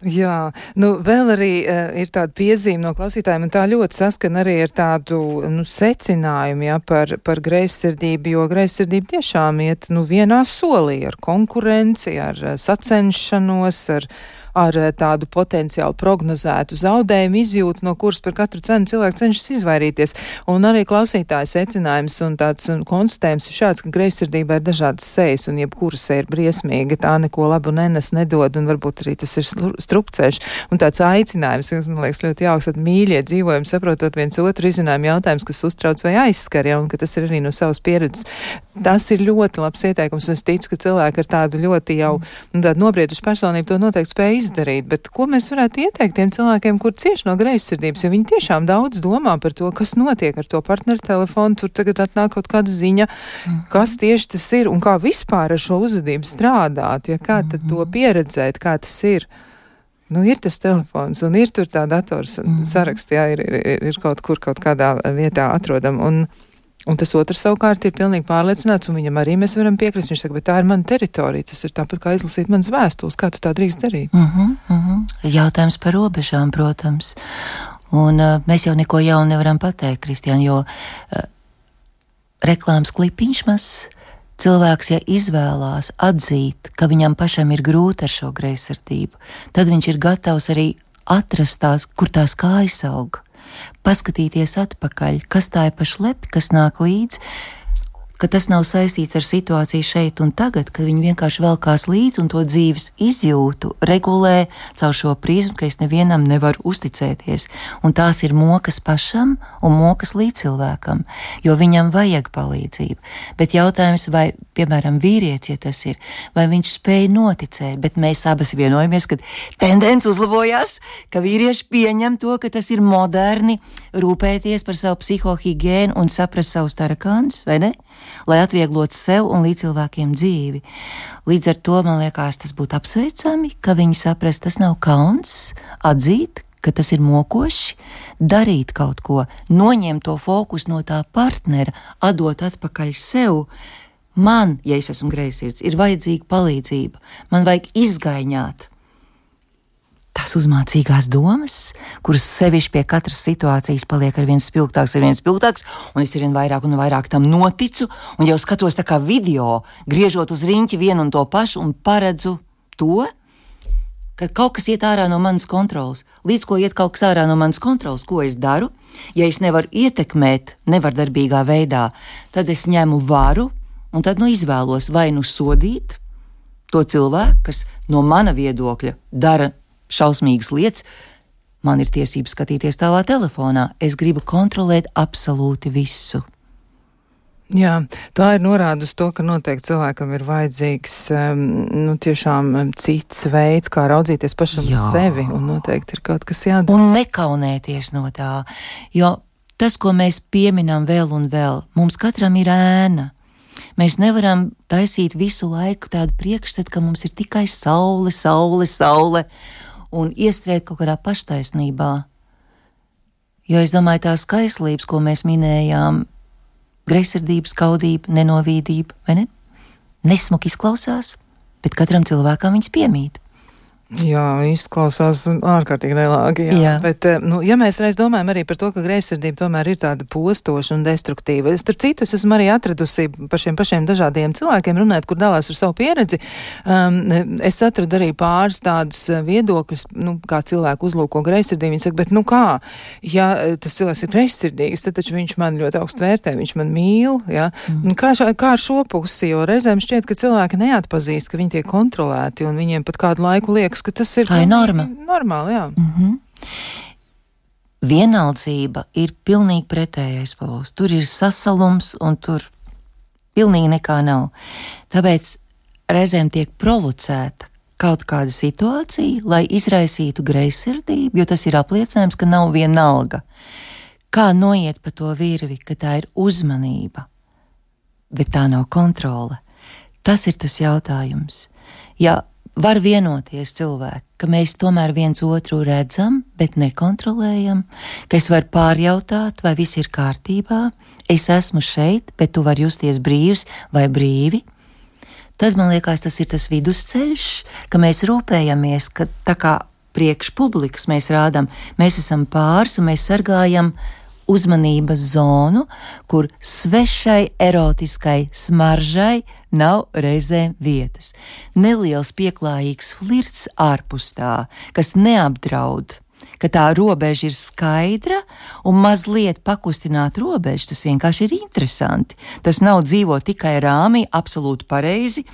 Jā, nu vēl arī uh, ir tāda piezīme no klausītājiem, un tā ļoti saskan arī ar tādu, nu, secinājumu, jā, par, par greizsirdību, jo greizsirdība tiešām iet, nu, vienā solī ar konkurenci, ar uh, sacenšanos, ar ar tādu potenciāli prognozētu zaudējumu izjūtu, no kuras par katru cenu cilvēks cenšas izvairīties. Un arī klausītāja secinājums un tāds konstatējums ir šāds, ka greizsirdībā ir dažādas sejas, un jebkura seja ir briesmīga, tā neko labu nenes, nedod, un varbūt arī tas ir strupceļš. Un tāds aicinājums, kas man liekas ļoti jauks, tad mīļie dzīvojumi, saprotot viens otru, izcinājumi jautājums, kas uztrauc vai aizskar, ja, un ka tas ir arī no savas pieredzes. Tas ir ļoti labs ieteikums, un es ticu, ka cilvēki ar tādu ļoti jau, nu, tādu nobriedušu personību to noteikti spēj izdarīt, bet ko mēs varētu ieteikt tiem cilvēkiem, kur cieši no greizsirdības, jo viņi tiešām daudz domā par to, kas notiek ar to partneru telefonu, tur tagad atnāk kaut kāda ziņa, kas tieši tas ir un kā vispār ar šo uzvedību strādāt, ja kā tad to pieredzēt, kā tas ir. Nu, ir tas telefons un ir tur tā dators saraksts, jā, ir, ir, ir kaut kur kaut kādā vietā atrodam, un Un tas otrs savukārt ir pilnīgi pārliecināts, un viņam arī mēs varam piekrist. Viņš saka, bet tā ir mana teritorija, tas ir tāpat kā izlasīt manas vēstules, kā tu tā drīkst darīt? Uh -huh, uh -huh. Jautājums par robežām, protams. Un uh, mēs jau neko jaunu nevaram pateikt, Kristiāna, jo uh, reklāmas klipiņš mazs, cilvēks, ja izvēlās atzīt, ka viņam pašam ir grūti ar šo greizsirdību, tad viņš ir gatavs arī atrast tās, kur tās kājas aug. Paskatīties atpakaļ, kas tā ir pa šlepi, kas nāk līdz, ka tas nav saistīts ar situāciju šeit un tagad, ka viņi vienkārši velkās līdz un to dzīves izjūtu regulē caur šo prizmu, ka es nevienam nevaru uzticēties. Un tās ir mokas pašam un mokas līdzcilvēkam, jo viņam vajag palīdzību. Bet jautājums, vai, piemēram, vīrietis, ja tas ir, vai viņš spēj noticēt, bet mēs abas vienojamies, ka tendence uzlabojās, ka vīrieši pieņem to, ka tas ir moderni rūpēties par savu psihohigiēnu un saprast savus tarakānus, vai ne? Lai atvieglotu sev un līdzcilvēkiem dzīvi. Līdz ar to, man liekas, tas būtu apsveicami, ka viņi saprast, tas nav kauns, atzīt, ka tas ir mokoši, darīt kaut ko, noņemt to fokusu no tā partnera, atdot atpakaļ sev. Man, ja es esmu greizsirds, ir vajadzīga palīdzība, man vajag izgaiņāt tās uzmācīgās domas, kuras sevišķi pie katras situācijas paliek ar viens spilgtāks, ar viens spilgtāks, un es arvien vairāk un vairāk tam noticu, un jau skatos tā kā video, griežot uz riņķi vienu un to pašu, un paredzu to, ka kaut kas iet ārā no manas kontrolas. Līdz ko iet kaut kas ārā no manas kontrolas, ko es daru, ja es nevaru ietekmēt nevardarbīgā veidā, tad es ņemu varu, un tad nu izvēlos vai nu sodīt to cilvēku, kas no mana viedokļa dara šausmīgas lietas, man ir tiesības skatīties tavā telefonā. Es gribu kontrolēt absolūti visu. Jā, tā ir norāda uz to, ka noteikti cilvēkam ir vajadzīgs um, nu, tiešām cits veids, kā raudzīties pašam uz sevi, un noteikti ir kaut kas jādara. Un nekaunēties no tā, jo tas, ko mēs pieminam vēl un vēl, mums katram ir ēna. Mēs nevaram taisīt visu laiku tādu priekšstatu, ka mums ir tikai saule, saule, saule, un iestrēt kaut kādā paštaisnībā. Jo es domāju, tās kaislības, ko mēs minējām, greizsirdība, skaudība, nenovīdība, vai ne? Nesmuki izklausās, bet katram cilvēkam viņas piemīt. Jā, izklausās ārkārtīgi nelāgi, jā. jā. Bet, nu, ja mēs reiz domājam arī par to, ka greizsirdība tomēr ir tāda postoša un destruktīva, starp citu, es esmu arī atradusi par šiem pašiem dažādiem cilvēkiem runāt, kur dalās ar savu pieredzi. Um, es atradu arī pāris tādus viedokļus, nu, kā cilvēku uzlūko greizsirdību. Viņi saka, bet nu kā, ja tas cilvēks ir greizsirdīgs, tad taču viņš man ļoti augstu vērtē, viņš man mīl, jā. Mm. Kā, šā, kā ar šo pusi, jo reizēm šķiet, ka cilvēki neatpazīst, ka viņi tiek kontrolēti un viņiem pat kādu laiku liekas, ka tas ir, tā ir norma. Normāli, jā. Mm-hmm. Vienaldzība ir pilnīgi pretējais pols. Tur ir sasalums un tur pilnīgi nekā nav. Tāpēc reizēm tiek provocēta kaut kāda situācija, lai izraisītu greizsirdību, jo tas ir apliecinājums, ka nav vienalga. Kā noiet pa to virvi, ka tā ir uzmanība, bet tā nav kontrole. Tas ir tas jautājums. Ja var vienoties cilvēki, ka mēs tomēr viens otru redzam, bet nekontrolējam, ka es varu pārjautāt, vai viss ir kārtībā, es esmu šeit, bet tu vari justies brīvs vai brīvi. Tad man liekas, tas ir tas vidusceļš, ka mēs rūpējamies, ka tā kā priekš publikas mēs rādam, mēs esam pāris un mēs sargājam uzmanības zonu, kur svešai erotiskai smaržai nav reizēm vietas. Neliels pieklājīgs flirts ārpus tā, kas neapdraud, ka tā robeža ir skaidra un mazliet pakustināt robežu, tas vienkārši ir interesanti. Tas nav dzīvot tikai rāmī, absolūti pareizi.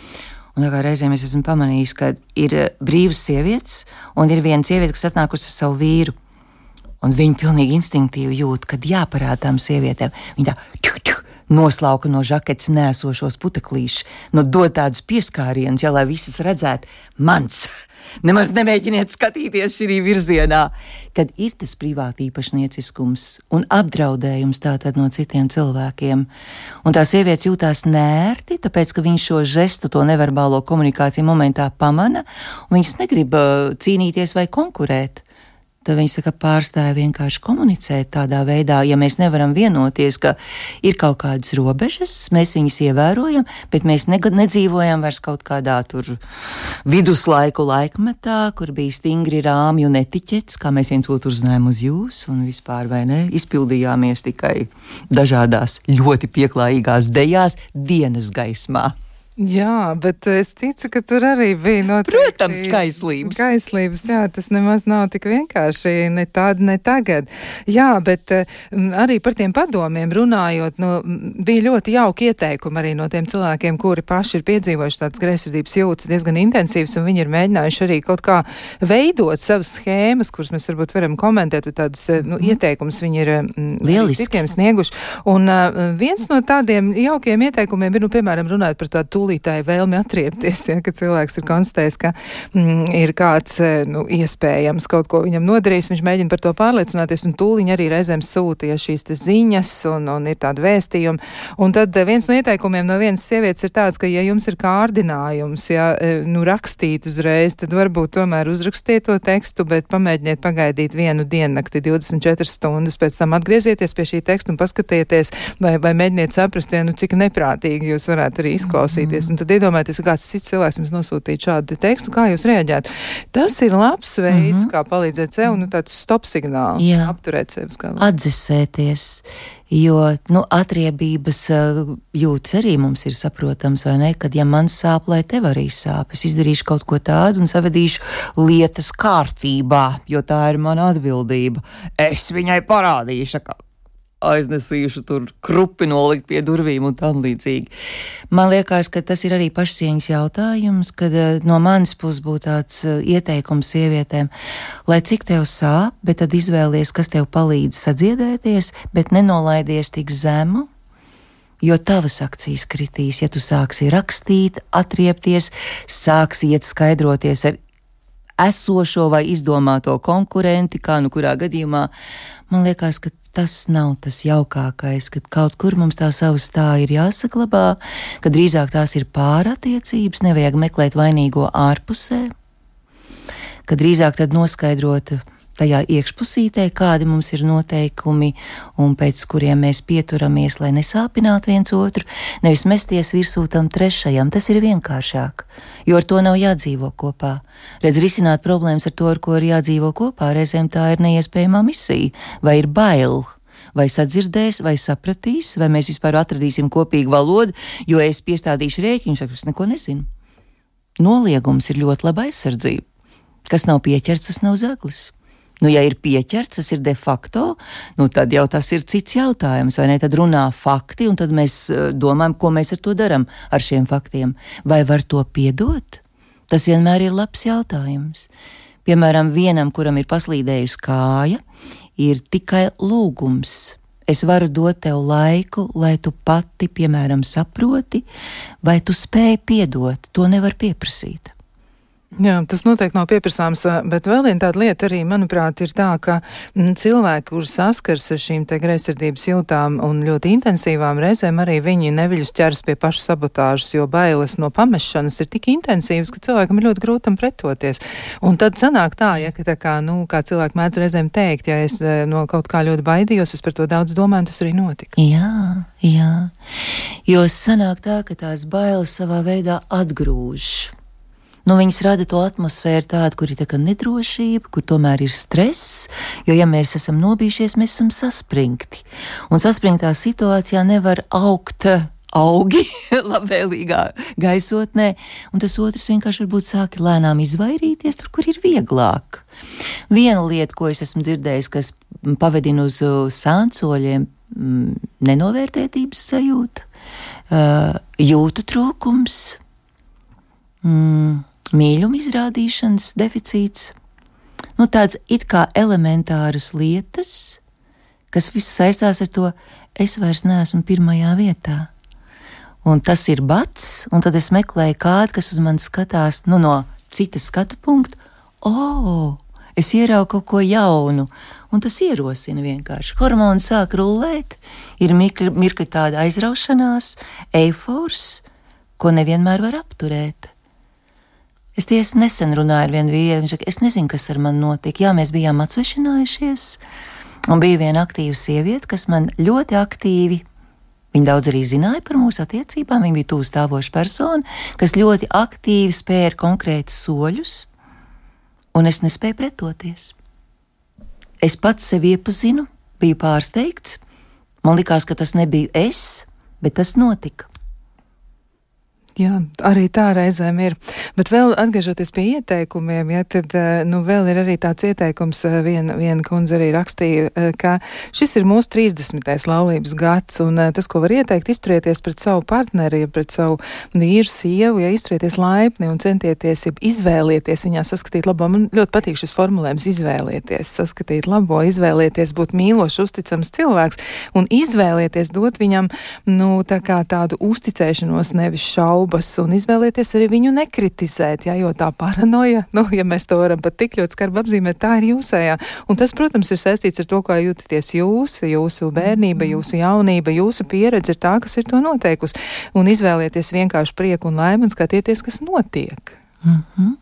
Un tā kā reizēm es esmu pamanījis, ka ir brīvas sievietes un ir viena sieviete, kas atnākusi ar savu vīru. Un viņi pilnīgi instinktīvi jūt, kad jāparāda tām sievietēm. Viņi tā čuk, čuk, noslauka no žaketes nēsošos puteklīšus, no dod tādus pieskārienus, ja lai visas redzētu mans. Nemaz nemēģiniet skatīties šī virzienā, kad ir tas privāti īpašnieciskums un apdraudējums tātad no citiem cilvēkiem. Un tā sievietes jūtās nērti, tāpēc, ka viņš šo žestu, to neverbālo komunikāciju momentā pamana, un viņas negrib uh, cīnīties vai konkurēt. Tad viņš saka, pārstāja vienkārši komunicēt tādā veidā, ja mēs nevaram vienoties, ka ir kaut kādas robežas, mēs viņas ievērojam, bet mēs ne, nedzīvojam vairs kaut kādā tur viduslaiku laikmetā, kur bija stingri rāmju un etiķetes, kā mēs viens otru uzzinājām uz jūs, un vispār vai ne, izpildījāmies tikai dažādās ļoti pieklājīgās dejās dienas gaismā. Jā, bet es ticu, ka tur arī bija noteikti... Protams, kaislības. Kaislības, jā, tas nemaz nav tik vienkārši, ne tāda, ne tagad. Jā, bet arī par tiem padomiem runājot, nu, bija ļoti jauki ieteikumi arī no tiem cilvēkiem, kuri paši ir piedzīvojuši tādas greizsirdības jūtas diezgan intensīvas, un viņi ir mēģinājuši arī kaut kā veidot savas schēmas, kuras mēs varbūt varam komentēt, vai tādas, nu, ieteikumus viņi ir lieliski citiem snieguši. Un uh, viens no tādiem jaukiem ieteikumiem ir, nu, piemēram, runāt par tādu tūlītāji vēlmi atriepties, ja, ka cilvēks ir konstatējis, ka mm, ir kāds, nu, iespējams kaut ko viņam nodarījis, viņš mēģina par to pārliecināties, un tūliņ arī reizēm sūtīja šīs te ziņas, un, un ir tādi vēstījumi. Un tad viens no ieteikumiem no vienas sievietes ir tāds, ka, ja jums ir kārdinājums, ja, nu, rakstīt uzreiz, tad varbūt tomēr uzrakstiet to tekstu, bet pamēģiniet pagaidīt vienu diennakti, divdesmit četras stundas, pēc tam atgriezieties pie šī teksta un paskatieties, vai, vai mēģiniet saprast, ja, nu, cik neprātīgi jūs varētu arī izklausīties. Un tad iedomājieties, ka kāds cits cilvēks jums nosūtīja šādu tekstu, kā jūs reaģētu. Tas ir labs veids, mm-hmm. kā palīdzēt sev, nu tāds stop signāls, jā. Apturēt sevi skala. Atdzesēties, jo, nu, atriebības uh, jūtas arī mums ir saprotams, vai ne, kad ja man sāp, lai tev arī sāp, es izdarīšu kaut ko tādu un savedīšu lietas kārtībā, jo tā ir mana atbildība. Es viņai parādīšu, ka aiznesīšu tur krupi nolikt pie durvīm un tam līdzīgi. Man liekas, ka tas ir arī pašcieņas jautājums, kad uh, no manas puses būtu tāds uh, ieteikums sievietēm, lai cik tev sāp, bet tad izvēlies, kas tev palīdz sadziedēties, bet nenolaidies tik zemu, jo tavas akcijas kritīs, ja tu sāksi rakstīt, atriepties, sāksi iet skaidroties ar esošo vai izdomāto konkurenti, kā nu kurā gadījumā. Man liekas, ka tas nav tas jaukākais, kad kaut kur mums tā savu stāju ir jāsaglabā, ka drīzāk tās ir pārattiecības, nevajag meklēt vainīgo ārpusē, ka drīzāk tad noskaidrot tajā iekšpusītē, kādi mums ir noteikumi un pēc kuriem mēs pieturamies, lai nesāpinātu viens otru, nevis mesties virsū tam trešajam. Tas ir vienkāršāk, jo ar to nav jādzīvo kopā. Redz, risināt problēmas ar to, ar ko ir jādzīvo kopā, reizēm tā ir neiespējamā misija, vai ir bail, vai sadzirdēs, vai sapratīs, vai mēs vispār atradīsim kopīgu valodu, jo es piestādīšu rēķinu, es neko nezinu. Noliegums ir ļoti laba aizsardzība. Kas nav pieķerts, tas nav zaglis. Nu, ja ir pieķerts, tas ir de facto, nu, tad jau tas ir cits jautājums, vai ne? Tad runā fakti, un tad mēs domājam, ko mēs ar to daram, ar šiem faktiem. Vai var to piedot? Tas vienmēr ir labs jautājums. Piemēram, vienam, kuram ir paslīdējusi kāja, ir tikai lūgums. Es varu dot tev laiku, lai tu pati, piemēram, saproti, vai tu spēj piedot. To nevar pieprasīt. Jā, tas noteikti nav pieprasāms, bet vēl viena tāda lieta arī, manuprāt, ir tā, ka m, cilvēki, kuri saskars ar šīm te greizsirdības jūtām un ļoti intensīvām reizēm, arī viņi neviļus ķeras pie paša sabotāžas, jo bailes no pamešanas ir tik intensīvas, ka cilvēkam ir ļoti grūti tam pretoties. Un tad sanāk tā, ja, ka tā kā, nu, kā cilvēki mēdz reizēm teikt, ja es no kaut kā ļoti baidījos, es par to daudz domāju, tas arī notika. Jā, jā, jo sanāk tā, ka tās bailes savā veidā atgrūž. Nu, viņas rada to atmosfēru tādu, kur ir tā kā nedrošība, kur tomēr ir stress, jo, ja mēs esam nobijušies, mēs esam saspringti. Un saspringtā situācijā nevar augt augi labvēlīgā gaisotnē, un tas otrs vienkārši varbūt sāki lēnām izvairīties tur, kur ir vieglāk. Viena lieta, ko es esmu dzirdējis, kas pavedina uz sānsoļiem, nenovērtētības sajūta, jūtu trūkums, mm, mīļuma izrādīšanas deficīts, nu tāds it kā elementāras lietas, kas viss saistās ar to, es vairs neesmu pirmajā vietā. Un tas ir bats, un tad es meklēju kādu, kas uz mani skatās, nu no citas skatu punktu, o, oh, es ieraugu kaut ko jaunu, un tas ierosina vienkārši. Hormoni sāk rullēt, ir mirkli, mirkli tāda aizraušanās, eifors, ko nevienmēr var apturēt. Es tiesa nesen runāju ar vienu vīrieti, viņš saka, es nezinu, kas ar mani notika. Jā, mēs bijām atsvešinājušies, un bija viena aktīva sieviete, kas man ļoti aktīvi, viņa daudz arī zināja par mūsu attiecībām, viņa bija tuvu stāvoša persona, kas ļoti aktīvi spēra konkrētus soļus, un es nespēju pretoties. Es pats sevi iepazinu, biju pārsteigts, man likās, ka tas nebija es, bet tas notika. Jā, arī tā reizēm ir. Bet vēl atgriežoties pie ieteikumiem, ja, tad, nu, vēl ir arī tāds ieteikums, viena, viena kundze arī rakstīja, ka šis ir mūsu trīsdesmitais laulības gads, un tas, ko var ieteikt, izturieties pret savu partneri, pret savu vīru, sievu, ja izturieties laipni un centieties, ja izvēlieties viņā saskatīt labo. Man ļoti patīk šis formulējums izvēlieties, saskatīt labo, izvēlieties būt mīlošs, uzticams cilvēks, un izvēlieties dot viņam, nu, tā kā tādu uzticēšanos, nevis šaubu, un izvēlieties arī viņu nekritizēt, ja, jo tā paranoja, nu, ja mēs to varam pat tik ļoti skarbi apzīmēt, tā ir jūsējā. Un tas, protams, ir saistīts ar to, kā jūtaties jūs, jūsu bērnība, jūsu jaunība, jūsu pieredze ir tā, kas ir to noteikusi. Un izvēlieties vienkārši prieku un laimi un skatieties, kas notiek. Mm-hmm.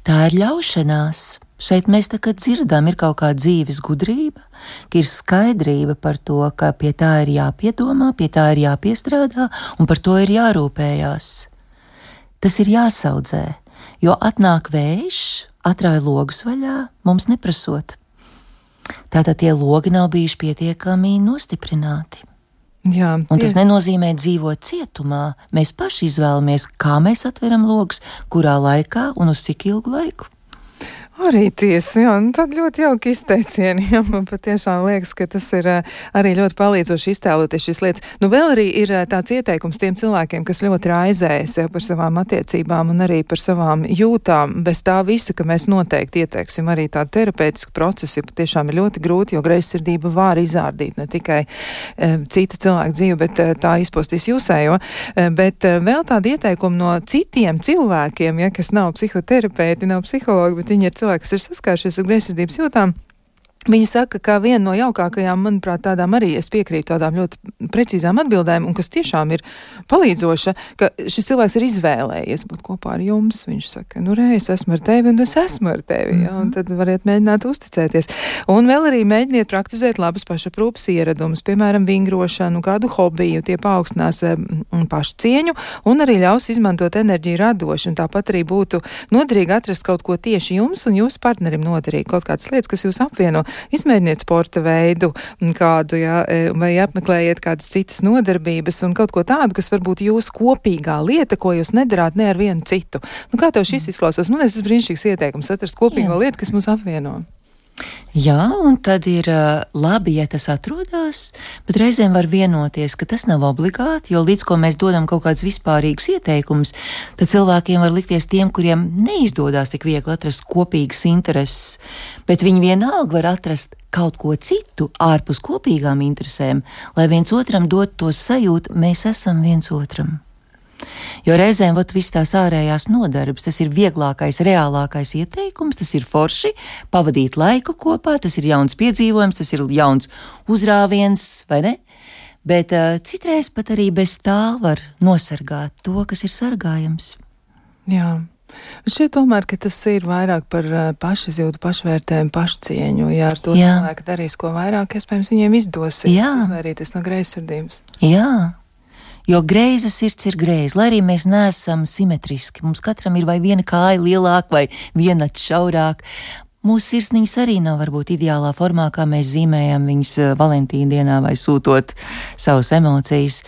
Tā ir ļaušanās. Šeit mēs tā kā dzirdam, ir kaut kā dzīves gudrība, ka ir skaidrība par to, ka pie tā ir jāpiedomā, pie tā ir jāpiestrādā un par to ir jārūpējās. Tas ir jāsaudzē, jo atnāk vējš, atrāja logus vaļā, mums neprasot. Tātad tie logi nav bijuši pietiekami nostiprināti. Jā, un tas nenozīmē dzīvot cietumā. Mēs paši izvēlamies, kā mēs atveram logus, kurā laikā un uz cik ilgu laiku. Arī tiesa, jā, nu tad ļoti jauki izteicieni, jā, man patiešām liekas, ka tas ir arī ļoti palīdzoši iztēloties šīs lietas. Nu vēl arī ir tāds ieteikums tiem cilvēkiem, kas ļoti raizējas jā, par savām attiecībām un arī par savām jūtām, bez tā visa, ka mēs noteikti ieteiksim arī tādu terapeitisku procesu, ja patiešām ir ļoti grūti, jo greizsirdība var izārdīt ne tikai e, cita cilvēka dzīve, bet e, tā izpostīs jūsējo, e, bet e, vēl tādi ieteikumi no citiem cilvēkiem, ja, kas nav psihoterapeiti, nav psihologi, bet viņi ir cilvēki, kas ir saskāršies ar greizsirdības jūtām. Viņi saka, ka viena no jaukākajām, manuprāt, tādām arī es piekrītu tādām ļoti precīzām atbildēm, un kas tiešām ir palīdzoša, ka šis cilvēks ir izvēlējies būt kopā ar jums. Viņš saka, nu re, es esmu ar tevi, un es esmu ar tevi, mm-hmm. ja, un tad variet mēģināt uzticēties. Un vēl arī mēģiniet praktizēt labas pašaprūpas ieradumus, piemēram, vingrošanu, kādu hobiju, tie paaugstinās pašcieņu, un arī ļaus izmantot enerģiju radoši, un tāpat arī būtu noderīgi atrast kaut ko tieši jums un jūsu partnerim noderīgi, kaut kādas lietas, kas jūs apvieno. Izmēģiniet sporta veidu kādu, jā, vai apmeklējiet kādas citas nodarbības un kaut ko tādu, kas varbūt jūsu kopīgā lieta, ko jūs nedarāt ne ar vienu citu. Nu, kā tev šis izklausās? Man liekas, tas brīnišķīgs ieteikums atrast kopīgo jā. Lietu, kas mūs apvieno. Jā, un tad ir uh, labi, ja tas atrodas, bet reizēm var vienoties, ka tas nav obligāti, jo līdz ko mēs dodam kaut kādus vispārīgus ieteikumus, tad cilvēkiem var likties tiem, kuriem neizdodas tik viegli atrast kopīgas intereses, bet viņi vienalga var atrast kaut ko citu ārpus kopīgām interesēm, lai viens otram dod to sajūtu, mēs esam viens otram. Jo reizēm vat viss tās ārējās nodarbes, tas ir vieglākais, reālākais ieteikums, tas ir forši, pavadīt laiku kopā, tas ir jauns piedzīvojums, tas ir jauns uzrāviens, vai ne? Bet uh, citreiz pat arī bez tā var nosargāt to, kas ir sargājams. Jā. Šķiet tomēr, ka tas ir vairāk par uh, pašizjūtu, pašvērtējumu, pašcieņu, ja ar to Jā. Cilvēku darīs ko vairāk, iespējams viņiem izdosies Jā. Izvairīties no greizsirdības. Jā. Jo greiza sirds ir greiza, lai arī mēs neesam simetriski. Mums katram ir vai viena kāja lielāka, vai viena šaurāka. Mūsu sirsniņas arī nav varbūt ideālā formā, kā mēs zīmējam viņas Valentīna dienā vai sūtot savas emocijas.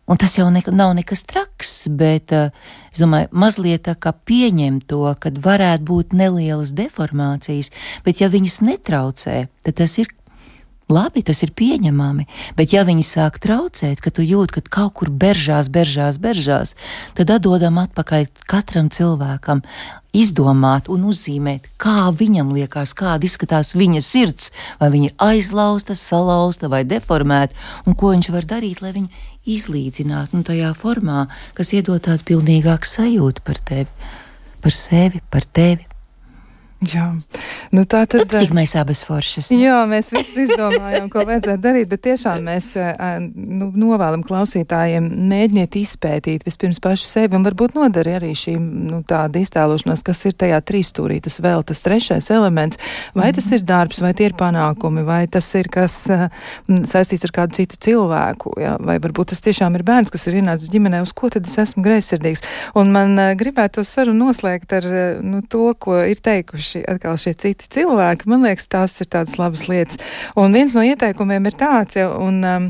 Un tas jau ne, nav nekas traks, bet es domāju, mazliet tā kā pieņem to, kad varētu būt nelielas deformācijas, bet ja viņas netraucē, tad tas ir labi, tas ir pieņemami, bet ja viņi sāk traucēt, ka tu jūt, ka kaut kur beržās, beržās, beržās, tad atdodam atpakaļ katram cilvēkam izdomāt un uzzīmēt, kā viņam liekas, kāda izskatās viņa sirds, vai viņa ir aizlausta, salauzta vai deformēta, un ko viņš var darīt, lai viņu izlīdzinātu, un tajā formā, kas iedod tādu pilnīgāku sajūtu par tevi, par sevi, par tevi. Jā, nu tā tad... Tad, cik mēs abas foršas. Ne? Jā, mēs visi izdomājām, ko vajadzētu darīt, bet tiešām mēs nu, novēlam klausītājiem mēģiniet izpētīt vispirms paši sevi un varbūt nodari arī šī nu, tāda iztēlošanās, kas ir tajā trīsstūrī, tas vēl tas trešais elements, vai mm-hmm. tas ir darbs, vai tie ir panākumi, vai tas ir kas saistīts ar kādu citu cilvēku, jā, vai varbūt tas tiešām ir bērns, kas ir ienācis ģimenē, uz ko tad es esmu greizsirdīgs. Un man gribētu to sarunu noslēgt ar nu, to, ko ir teikuši atkal šie citi cilvēki, man liekas, tās ir tādas labas lietas. Un viens no ieteikumiem ir tāds, ja, un um,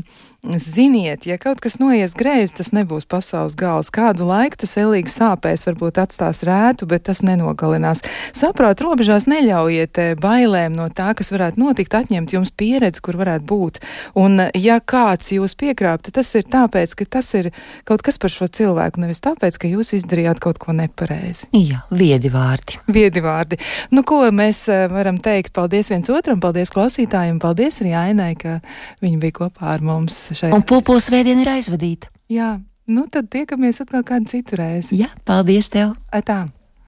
ziniet, ja kaut kas noies greizi, tas nebūs pasaules gals. Kādu laiku tas elīgi sāpēs, varbūt atstās rētu, bet tas nenogalinās. Saprāt, robežās neļaujiet bailēm no tā, kas varētu notikt, atņemt jums pieredzi, kur varētu būt. Un ja kāds jūs piekrāp, tad tas ir tāpēc, ka tas ir kaut kas par šo cilvēku, nevis tāpēc, ka jūs izdarījāt kaut ko nepareizi. Jā, viedi vārdi. Viedi vārdi. Nu, ko mēs varam teikt? Paldies viens otram, paldies klausītājiem, paldies arī Ainai, ka viņi bija kopā ar mums. Šeit. Un pulpola svētdiena ir aizvadīta. Jā, nu tad tiekamies atkal kādu citu reizi. Jā, paldies tev. Atā.